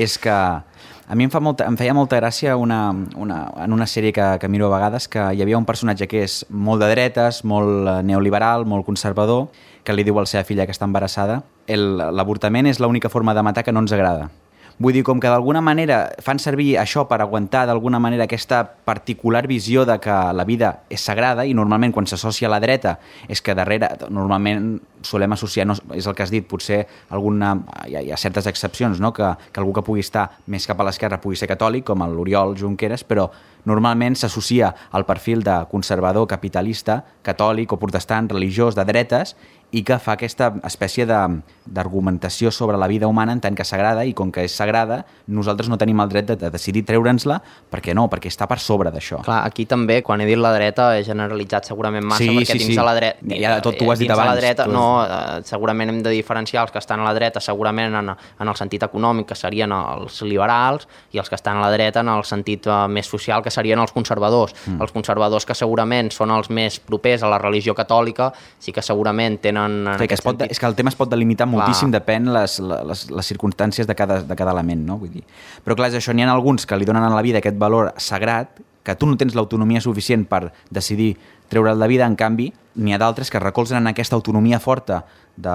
és que a mi em, fa molta, em feia molta gràcia una, una, en una sèrie que, que miro a vegades, que hi havia un personatge que és molt de dretes, molt neoliberal, molt conservador, que li diu a la seva filla que està embarassada: l'avortament és l'única forma de matar que no ens agrada. Vull dir, com que d'alguna manera fan servir això per aguantar d'alguna manera aquesta particular visió de que la vida és sagrada, i normalment quan s'associa a la dreta és que darrere, normalment solem associar, no, és el que has dit, potser alguna, hi ha, hi ha certes excepcions, no? que, que algú que pugui estar més cap a l'esquerra pugui ser catòlic, com l'Oriol Junqueras, però normalment s'associa al perfil de conservador, capitalista, catòlic o protestant, religiós, de dretes, i que fa aquesta espècie d'argumentació sobre la vida humana en tant que sagrada, i com que és sagrada, nosaltres no tenim el dret de, de decidir treure'ns-la, perquè no, perquè està per sobre d'això. Clar, aquí també, quan he dit la dreta, he generalitzat segurament massa, sí, perquè sí, dins sí. de la dreta... Ja, tot tu ho has dit abans. La dreta, tu... no, eh, segurament hem de diferenciar els que estan a la dreta, segurament en, en el sentit econòmic, que serien els liberals, i els que estan a la dreta en el sentit eh, més social, que serien els conservadors. Mm. Els conservadors, que segurament són els més propers a la religió catòlica, sí que segurament tenen... Sí, que es pot, és que el tema es pot delimitar clar. Moltíssim, depèn les, les, les circumstàncies de cada, de cada element, no? Vull dir. Però clar, és això, n'hi ha alguns que li donen a la vida aquest valor sagrat, que tu no tens l'autonomia suficient per decidir treure'l de vida, en canvi, n'hi ha d'altres que recolzen en aquesta autonomia forta de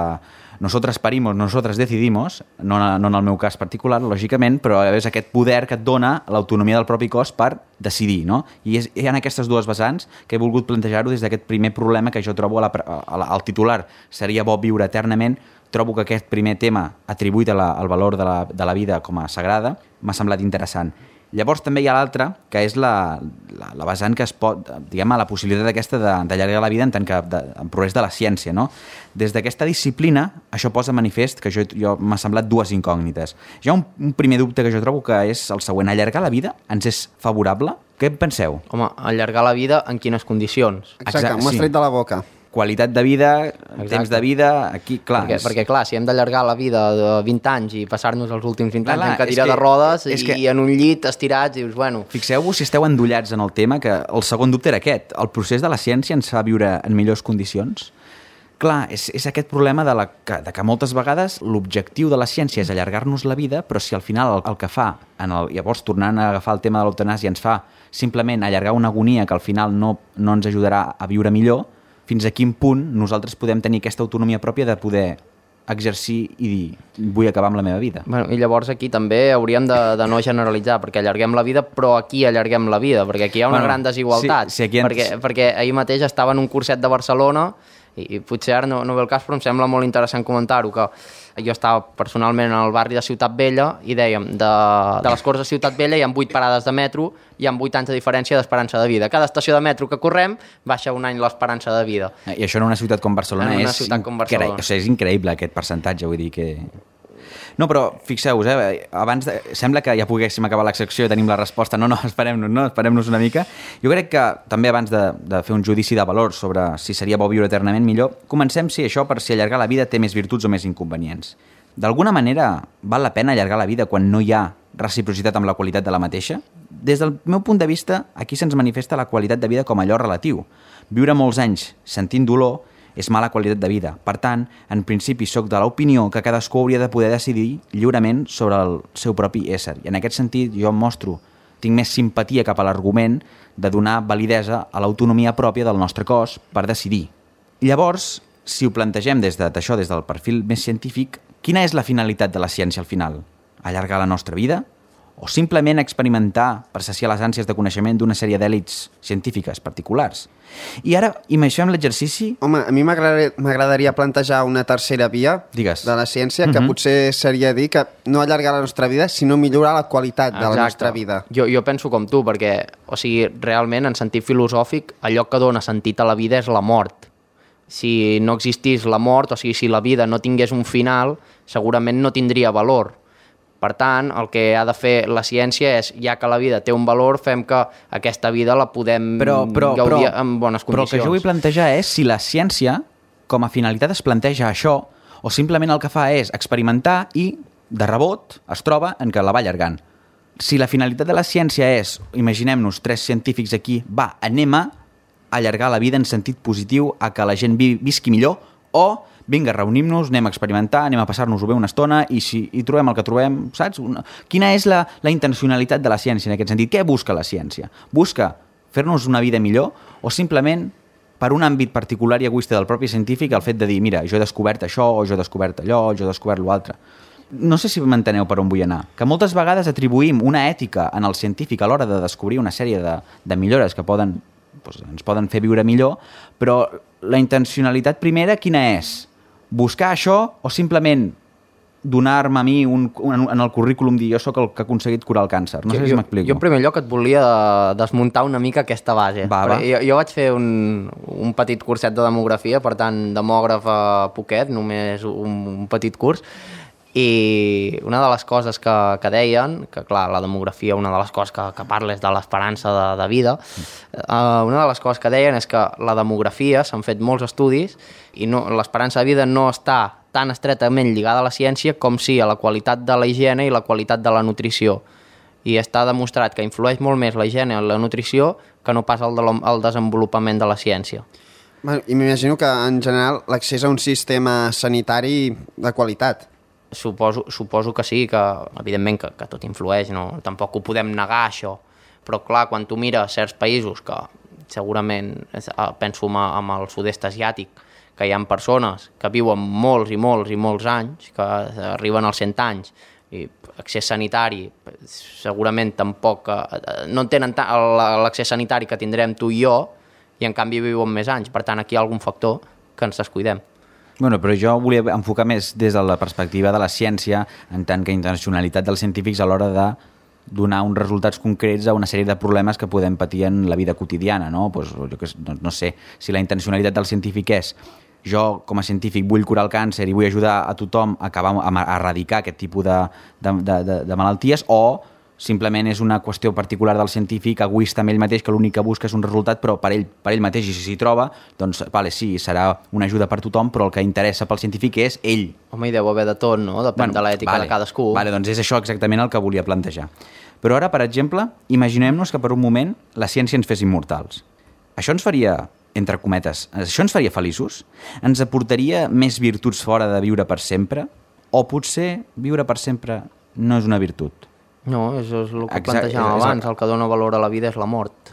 nosotros parimos, nosotros decidimos, no, no en el meu cas particular, lògicament, però és aquest poder que et dona l'autonomia del propi cos per decidir, no? I és, hi ha aquestes dues vessants que he volgut plantejar-ho des d'aquest primer problema que jo trobo a la, a la, al titular. Seria bo viure eternament. Trobo que aquest primer tema atribuït a la, al valor de la, de la vida com a sagrada m'ha semblat interessant. Llavors també hi ha l'altra, que és la, la, la vessant que es pot, diguem, la possibilitat aquesta d'allargar la vida en tant que de, en progrés de la ciència, no? Des d'aquesta disciplina, això posa manifest que jo, jo m'ha semblat dues incògnites. Hi ha un, un primer dubte que jo trobo que és el següent: allargar la vida ens és favorable? Què en penseu? Home, allargar la vida en quines condicions? Exacte, Exacte m'ho has tret de la boca. Qualitat de vida, Exacte. Temps de vida, aquí, clar... Perquè, és... perquè, clar, si hem d'allargar la vida de vint anys i passar-nos els últims vint anys clar, en cadira que, de rodes i, que... i en un llit estirats, i dius, bueno... Fixeu-vos si esteu endollats en el tema, que el segon dubte era aquest. El procés de la ciència ens fa viure en millors condicions? Clar, és, és aquest problema de, la, que, de que moltes vegades l'objectiu de la ciència és allargar-nos la vida, però si al final el, el que fa, en el, llavors tornant a agafar el tema de l'eutanàsia, ens fa simplement allargar una agonia que al final no, no ens ajudarà a viure millor, fins a quin punt nosaltres podem tenir aquesta autonomia pròpia de poder exercir i dir, vull acabar amb la meva vida. Bueno, i llavors aquí també hauríem de, de no generalitzar, perquè allarguem la vida, però aquí allarguem la vida, perquè aquí hi ha una bueno, gran desigualtat. Sí, sí, aquí ens... perquè, perquè ahir mateix estava en un curset de Barcelona I, i potser ara no, no ve el cas, però em sembla molt interessant comentar-ho, que jo estava personalment en el barri de Ciutat Vella i dèiem, de, de les Corts de Ciutat Vella hi ha vuit parades de metro, hi ha vuit anys de diferència d'esperança de vida. Cada estació de metro que correm baixa un any l'esperança de vida. I això en una ciutat com Barcelona, en una és, ciutat com Barcelona. Incre... o sigui, és increïble aquest percentatge, vull dir que... No, però fixeu-vos, eh, abans de... sembla que ja poguéssim acabar la secció i tenim la resposta. No, no, esperem-nos, no? Esperem-nos una mica. Jo crec que també abans de, de fer un judici de valor sobre si seria bo viure eternament millor, comencem si això per si allargar la vida té més virtuts o més inconvenients. D'alguna manera val la pena allargar la vida quan no hi ha reciprocitat amb la qualitat de la mateixa? Des del meu punt de vista, aquí se'ns manifesta la qualitat de vida com allò relatiu. Viure molts anys sentint dolor és mala qualitat de vida. Per tant, en principi sóc de l'opinió que cadascú hauria de poder decidir lliurement sobre el seu propi ésser. I en aquest sentit jo em mostro, tinc més simpatia cap a l'argument de donar validesa a l'autonomia pròpia del nostre cos per decidir. Llavors, si ho plantegem des d'això, des del perfil més científic, quina és la finalitat de la ciència al final? Allargar la nostra vida? O simplement experimentar per saciar les ànsies de coneixement d'una sèrie d'èlits científiques particulars? I ara imaginem l'exercici... Home, a mi m'agradaria plantejar una tercera via Digues. de la ciència, que Mhm. potser seria dir que no allargar la nostra vida, sinó millorar la qualitat de la Exacte. nostra vida. Jo, jo penso com tu, perquè, o sigui, realment, en sentit filosòfic, allò que dona sentit a la vida és la mort. Si no existís la mort, o sigui, si la vida no tingués un final, segurament no tindria valor. Per tant, el que ha de fer la ciència és, ja que la vida té un valor, fem que aquesta vida la podem però, però, gaudir però, en bones però el condicions. que jo vull plantejar és si la ciència, com a finalitat, es planteja això, o simplement el que fa és experimentar i, de rebot, es troba en què la va allargant. Si la finalitat de la ciència és, imaginem-nos tres científics aquí, va, anem a allargar la vida en sentit positiu a que la gent vi, visqui millor, o vinga, reunim-nos, anem a experimentar, anem a passar-nos-ho bé una estona i si hi trobem el que trobem, saps? Una... Quina és la, la intencionalitat de la ciència en aquest sentit? Què busca la ciència? Busca fer-nos una vida millor o simplement per un àmbit particular i egoista del propi científic el fet de dir, mira, jo he descobert això, o jo he descobert allò, o jo he descobert l'altre. No sé si m'enteneu per on vull anar. Que moltes vegades atribuïm una ètica en el científic a l'hora de descobrir una sèrie de, de millores que poden, doncs, ens poden fer viure millor, però la intencionalitat primera quina és? Buscar això o simplement donar-me a mi un, un, en el currículum dir jo sóc el que ha aconseguit curar el càncer? No sé jo, si m'explico. Jo en primer lloc et volia desmuntar una mica aquesta base. Va, va. Jo, jo vaig fer un, un petit curset de demografia, per tant, demògraf a poquet, només un, un petit curs, i una de les coses que, que deien, que clar, la demografia, una de les coses que, que parla és de l'esperança de, de vida, uh, una de les coses que deien és que la demografia, s'han fet molts estudis, i no, l'esperança de vida no està tan estretament lligada a la ciència com sí a la qualitat de la higiene i la qualitat de la nutrició. I està demostrat que influeix molt més la higiene i la nutrició que no pas el, de el desenvolupament de la ciència. Bueno, i m'imagino que en general l'accés a un sistema sanitari de qualitat. Suposo, suposo que sí, que evidentment que, que tot influeix, no? Tampoc ho podem negar això, però clar, quan tu mires certs països que segurament, penso en el sud-est asiàtic, que hi ha persones que viuen molts i molts i molts anys, que arriben als cent anys, i accés sanitari segurament tampoc, no tenen l'accés sanitari que tindrem tu i jo, i en canvi viuen més anys, per tant aquí hi ha algun factor que ens descuidem. Bueno, però jo volia enfocar més des de la perspectiva de la ciència en tant que intencionalitat dels científics a l'hora de donar uns resultats concrets a una sèrie de problemes que podem patir en la vida quotidiana, no? Pues, jo que, no, no sé, si la intencionalitat del científic és jo com a científic vull curar el càncer i vull ajudar a tothom a acabar a erradicar aquest tipus de, de, de, de malalties, o simplement és una qüestió particular del científic, egoista amb ell mateix, que l'únic que busca és un resultat, però per ell, per ell mateix, i si s'hi troba, doncs, vale, sí, serà una ajuda per tothom, però el que interessa pel científic és ell. Home, hi deu haver de tot, no? Depèn bueno, de l'ètica vale, de cadascú. Vale, doncs és això exactament el que volia plantejar. Però ara, per exemple, imaginem-nos que per un moment la ciència ens fes immortals. Això ens faria, entre cometes, això ens faria feliços? Ens aportaria més virtuts fora de viure per sempre? O potser viure per sempre no és una virtut? No, això és el que Exacte, plantejàvem abans, el que dona valor a la vida és la mort.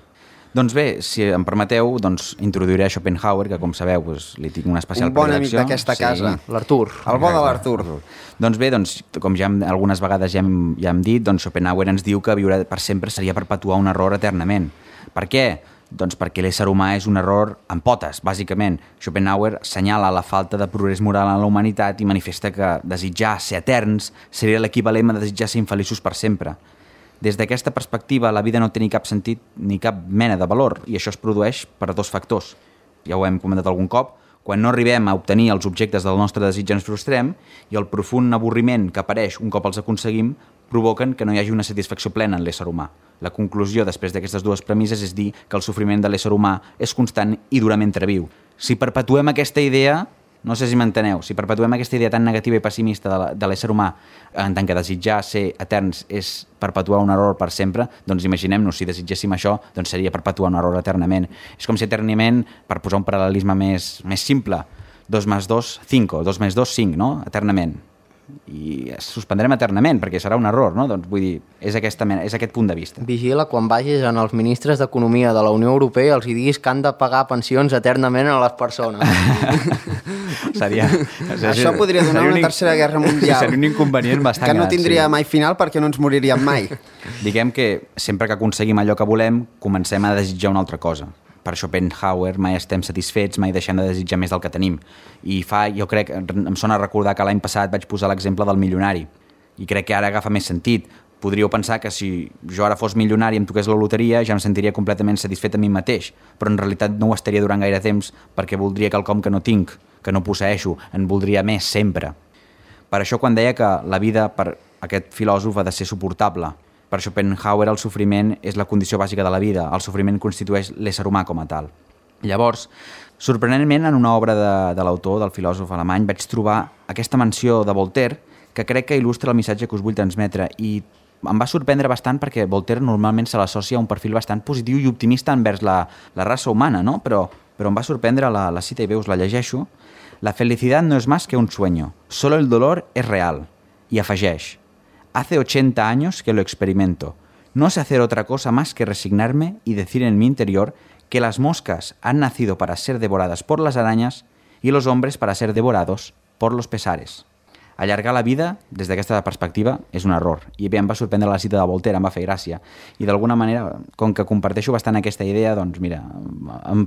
Doncs bé, si em permeteu, doncs introduiré a Schopenhauer, que com sabeu doncs, li tinc una especial un bon predilecció. amic d'aquesta sí. casa. L'Artur. El bo de l'Artur. Doncs bé, doncs, com ja hem, algunes vegades ja hem, ja hem dit, doncs Schopenhauer ens diu que viure per sempre seria perpetuar un error eternament. Per què? Doncs perquè l'ésser humà és un error en potes, bàsicament. Schopenhauer assenyala la falta de progrés moral en la humanitat i manifesta que desitjar ser eterns seria l'equivalent a desitjar ser infeliços per sempre. Des d'aquesta perspectiva, la vida no té ni cap sentit ni cap mena de valor, i això es produeix per dos factors. Ja ho hem comentat algun cop, quan no arribem a obtenir els objectes del nostre desig ens frustrem, i el profund avorriment que apareix un cop els aconseguim provoquen que no hi hagi una satisfacció plena en l'ésser humà. La conclusió després d'aquestes dues premisses és dir que el sofriment de l'ésser humà és constant i dura mentre viu. Si perpetuem aquesta idea, no sé si m'enteneu, si perpetuem aquesta idea tan negativa i pessimista de l'ésser humà en tant que desitjar ser eterns és perpetuar un error per sempre, doncs imaginem-nos, si desitgéssim això, doncs seria perpetuar un error eternament. És com si eternament, per posar un paral·lelisme més, més simple, dos més dos, cinco, dos més dos, cinc, no? Eternament. I es suspendrem eternament, perquè serà un error, no? Doncs vull dir, és, aquesta, és aquest punt de vista. Vigila quan vagis en els ministres d'Economia de la Unió Europea els hi diguis que han de pagar pensions eternament a les persones. seria, Això podria donar una tercera guerra mundial. Seria un inconvenient bastant que no gran, tindria sí. mai final perquè no ens moriríem mai. Diguem que sempre que aconseguim allò que volem, comencem a desitjar una altra cosa. Per Schopenhauer mai estem satisfets, mai deixem de desitjar més del que tenim. I fa, jo crec, em sona recordar que l'any passat vaig posar l'exemple del milionari. I crec que ara agafa més sentit. Podríeu pensar que si jo ara fos milionari i em toqués la loteria ja em sentiria completament satisfet a mi mateix, però en realitat no ho estaria durant gaire temps perquè voldria quelcom que no tinc, que no posseeixo, en voldria més sempre. Per això quan deia que la vida per aquest filòsof ha de ser suportable, per Schopenhauer el sofriment és la condició bàsica de la vida, el sofriment constitueix l'ésser humà com a tal. Llavors, sorprenentment, en una obra de, de l'autor, del filòsof alemany, vaig trobar aquesta menció de Voltaire que crec que il·lustra el missatge que us vull transmetre i em va sorprendre bastant perquè Voltaire normalment se l'associa a un perfil bastant positiu i optimista envers la, la raça humana, no? Però, però em va sorprendre la, la cita i bé us la llegeixo. La felicidad no es más que un sueño, solo el dolor es real. I afegeix: hace ochenta años que lo experimento. No sé hacer otra cosa más que resignarme y decir en mi interior que las moscas han nacido para ser devoradas por las arañas y los hombres para ser devorados por los pesares. Allargar la vida, des d'aquesta perspectiva, és un error. I bé, em va sorprendre la cita de Voltaire, em va fer gràcia. I d'alguna manera, com que comparteixo bastant aquesta idea, doncs mira, em,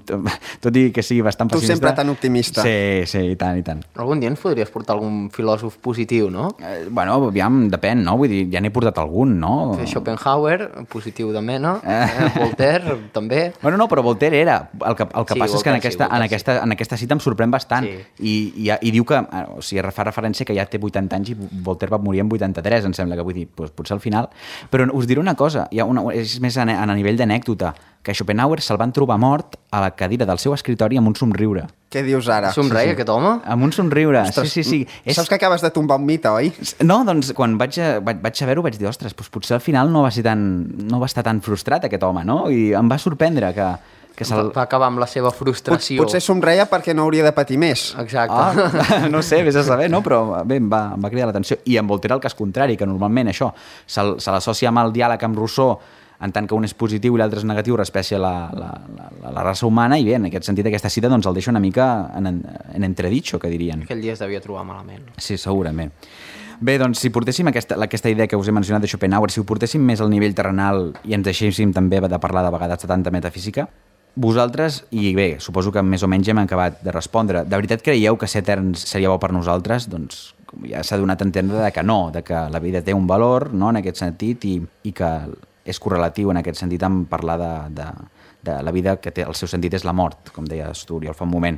tot i que sigui bastant tu pessimista... sempre tan optimista. Sí, sí, i tant, i tant. Algun dia ens podries portar algun filòsof positiu, no? Eh, bueno, aviam, depèn, no? Vull dir, ja n'he portat algun, no? Schopenhauer, positiu de mena, eh, Voltaire, també. Bueno, no, però Voltaire era. El que, el que Sí, passa és que en Voltaire sí, aquesta, en, Voltaire aquesta, en aquesta cita em sorprèn bastant. Sí. I, i, I diu que, o sigui, fa referència que ja té vuitanta anys i Voltaire va morir en vuitanta-tres, em sembla, que vull dir, doncs, potser al final. Però us diré una cosa, hi ha una, és més a, a nivell d'anècdota, que Schopenhauer se'l van trobar mort a la cadira del seu escritori amb un somriure. Què dius ara? Somreia sí, sí. aquest home? Amb un somriure, Ostres, sí, sí, sí. És... Saps que acabes de tombar un mite, oi? No, doncs quan vaig, a, vaig, vaig saber-ho vaig dir, ostres, doncs potser al final no va, ser tan, no va estar tan frustrat aquest home, no? I em va sorprendre que... que va, va acabar amb la seva frustració. Pot, potser somreia perquè no hauria de patir més. Exacte. Ah, no sé, vés a saber, no? Però bé, em va, em va cridar l'atenció. I amb Voltaire el cas contrari, que normalment això se, se l'associa amb el diàleg amb Rousseau en tant que un és positiu i l'altre és negatiu respecte a la, la, la, la raça humana, i bé, en aquest sentit aquesta cita doncs, el deixa una mica en, en entredicho, que dirien. Aquell dia es devia trobar malament. Sí, segurament. Bé, doncs, si portéssim aquesta, aquesta idea que us he mencionat de Schopenhauer, si ho portéssim més al nivell terrenal i ens deixéssim també de parlar de vegades de tanta metafísica, vosaltres, i bé, suposo que més o menys hem acabat de respondre, de veritat creieu que ser eterns seria bo per nosaltres? Doncs ja s'ha donat a entendre de que no, de que la vida té un valor, no?, en aquest sentit, i, i que és correlatiu en aquest sentit amb parlar de, de, de la vida, que té, el seu sentit és la mort, com deies tu, Oriol, fa un moment.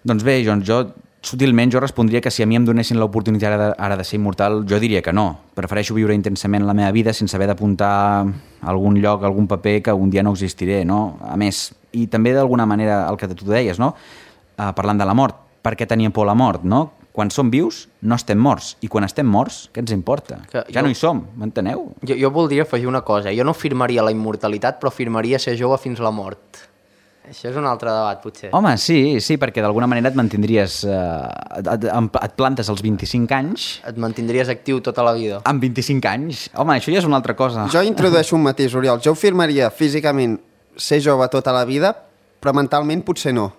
Doncs bé, doncs jo, sutilment, jo respondria que si a mi em donessin l'oportunitat ara, ara de ser immortal, jo diria que no. Prefereixo viure intensament la meva vida sense haver d'apuntar a algun lloc, a algun paper que un dia no existiré, no? A més, i també d'alguna manera el que tu deies, no? Uh, parlant de la mort, per què tenia por la mort, no? Quan som vius, no estem morts. I quan estem morts, què ens importa? Que ja jo, no hi som, m'enteneu? Jo, jo voldria afegir una cosa. Jo no firmaria la immortalitat, però firmaria ser jove fins la mort. Això és un altre debat, potser. Home, sí, sí, perquè d'alguna manera et mantindries... Eh, et, et plantes als vint-i-cinc anys... Et mantindries actiu tota la vida. Amb vint-i-cinc anys? Home, això ja és una altra cosa. Jo introdueixo un matís, Oriol. Jo ho firmaria físicament ser jove tota la vida, però mentalment potser no.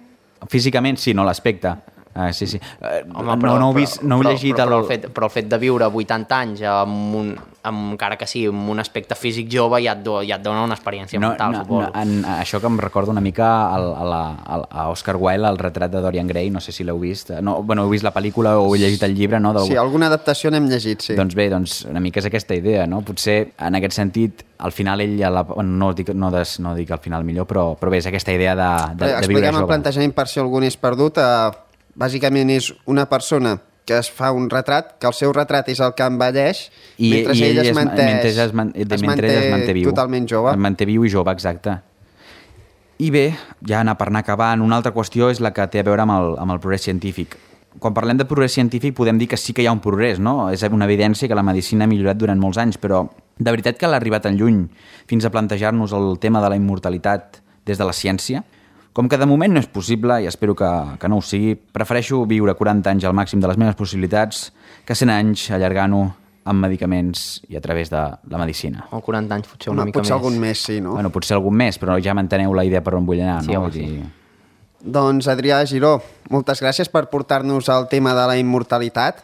Físicament sí, no l'aspecte. Uh, sí, sí. Uh, Home, no, però, no, heu vist, no heu però, llegit... Però, però, el... el fet, però el fet de viure vuitanta anys amb un, amb, encara que sí, amb un aspecte físic jove ja et, do, ja et dona una experiència no, mental, no, suposo. No, en, això que em recorda una mica al, a, la, a Oscar Wilde, el retrat de Dorian Gray, no sé si l'heu vist. No, bueno, heu vist la pel·lícula o heu llegit el llibre, no? Del... Sí, alguna adaptació n'hem llegit, sí. Doncs bé, doncs una mica és aquesta idea, no? Potser en aquest sentit, al final ell, a la... bueno, no, dic, no, des, no dic al final millor, però, però bé, és aquesta idea de, de, de viure jove. Expliquem el plantejament per si algú n'és perdut. Uh, bàsicament és una persona que es fa un retrat, que el seu retrat és el que envelleix, I, mentre i ell, ell es, manté, mentre es, man, es, manté, es manté viu. Totalment jove. Es manté viu i jove, exacte. I bé, ja anar per anar acabant, una altra qüestió és la que té a veure amb el, amb el progrés científic. Quan parlem de progrés científic podem dir que sí que hi ha un progrés, no? És una evidència que la medicina ha millorat durant molts anys, però de veritat que l'ha arribat tan lluny fins a plantejar-nos el tema de la immortalitat des de la ciència? Com que de moment no és possible, i espero que, que no ho sigui, prefereixo viure quaranta anys al màxim de les meves possibilitats que cent anys allargant-ho amb medicaments i a través de la medicina. O quaranta anys, potser una Home, mica potser més. algun més, sí, no? Bueno, potser algun més, però ja m'enteneu la idea per on vull anar, sí, no? Home, sí. Dir... Doncs, Adrià Giró, moltes gràcies per portar-nos al tema de la immortalitat.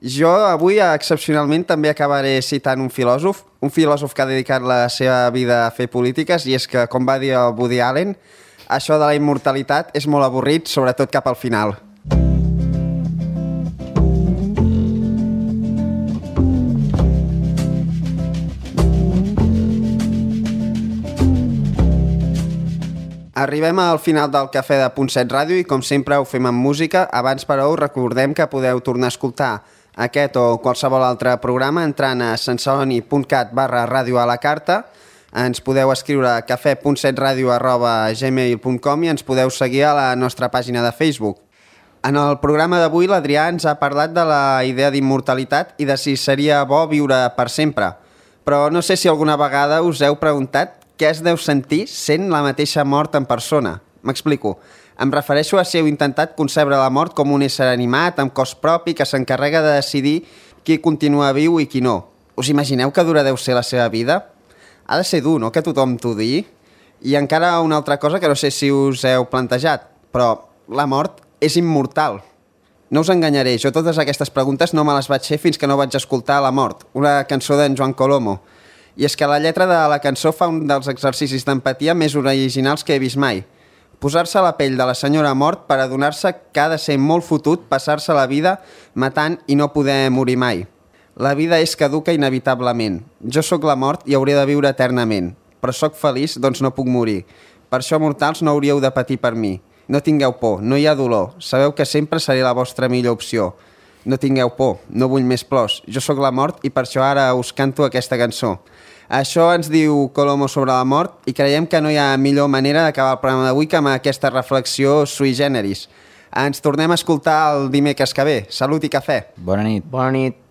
Jo avui, excepcionalment, també acabaré citant un filòsof, un filòsof que ha dedicat la seva vida a fer polítiques, i és que, com va dir el Woody Allen, això de la immortalitat és molt avorrit, sobretot cap al final. Arribem al final del Cafè de Punt set Ràdio i, com sempre, ho fem amb música. Abans, però, us recordem que podeu tornar a escoltar aquest o qualsevol altre programa entrant a sensoni.cat barra ràdio a la carta. Ens podeu escriure a cafè punt set ràdio arroba gmail punt com i ens podeu seguir a la nostra pàgina de Facebook. En el programa d'avui l'Adrià ens ha parlat de la idea d'immortalitat i de si seria bo viure per sempre. Però no sé si alguna vegada us heu preguntat què es deu sentir sent la mateixa mort en persona. M'explico. Em refereixo a si heu intentat concebre la mort com un ésser animat, amb cos propi, que s'encarrega de decidir qui continua viu i qui no. Us imagineu que dura deu ser la seva vida? Ha de ser dur, no?, que tothom t'ho digui. I encara una altra cosa que no sé si us heu plantejat, però la mort és immortal. No us enganyaré, jo totes aquestes preguntes no me les vaig fer fins que no vaig escoltar La mort, una cançó d'en Joan Colomo. I és que la lletra de la cançó fa un dels exercicis d'empatia més originals que he vist mai. Posar-se a la pell de la senyora mort per adonar-se que ha de ser molt fotut passar-se la vida matant i no poder morir mai. La vida és caduca inevitablement. Jo sóc la mort i hauré de viure eternament. Però sóc feliç, doncs no puc morir. Per això, mortals, no hauríeu de patir per mi. No tingueu por, no hi ha dolor. Sabeu que sempre seré la vostra millor opció. No tingueu por, no vull més plors. Jo sóc la mort i per això ara us canto aquesta cançó. Això ens diu Colomo sobre la mort i creiem que no hi ha millor manera d'acabar el programa d'avui que amb aquesta reflexió sui generis. Ens tornem a escoltar el dimecres que ve. Salut i cafè. Bona nit. Bona nit.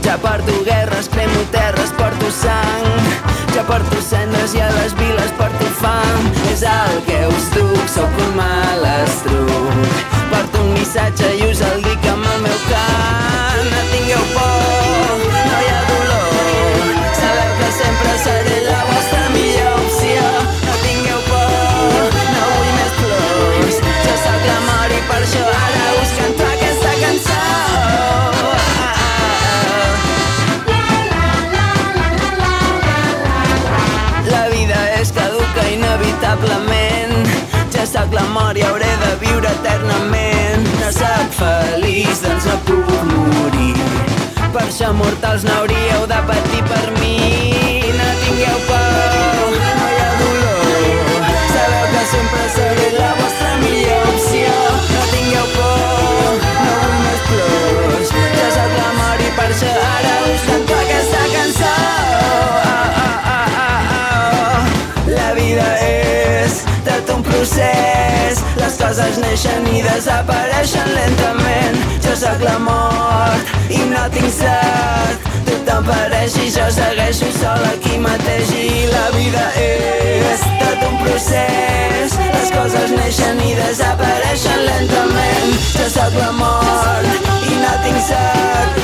Ja porto guerres, cremo terres, porto sang. Ja porto cendres i a les viles porto fam. És el que us duc, sóc un malastruc. Porto un missatge i us el dic amb el meu cant. No tingueu por, no hi ha dolor. Sabeu que sempre seré la vostra millor opció. No tingueu por, no vull més plors. Jo sóc la mort i per això ara us canto aquesta cançó. Inevitablement, ja sóc la mort i hauré de viure eternament. No sóc feliç, doncs no puc morir. Per això, mortals, no hauríeu de patir per mi. No tingueu por, no hi ha dolor. Sabeu que sempre seré la vostra millor opció. No tingueu por, no vull més plors. Ja sóc la mort i per això ara us canto aquesta cançó. La vida és tot un procés. Les coses neixen i desapareixen lentament. Jo sóc la mort i no tinc set. Tothom pareix i jo segueixo sol aquí mateix. I la vida és tot un procés. Les coses neixen i desapareixen lentament. Jo sóc la mort i no tinc set.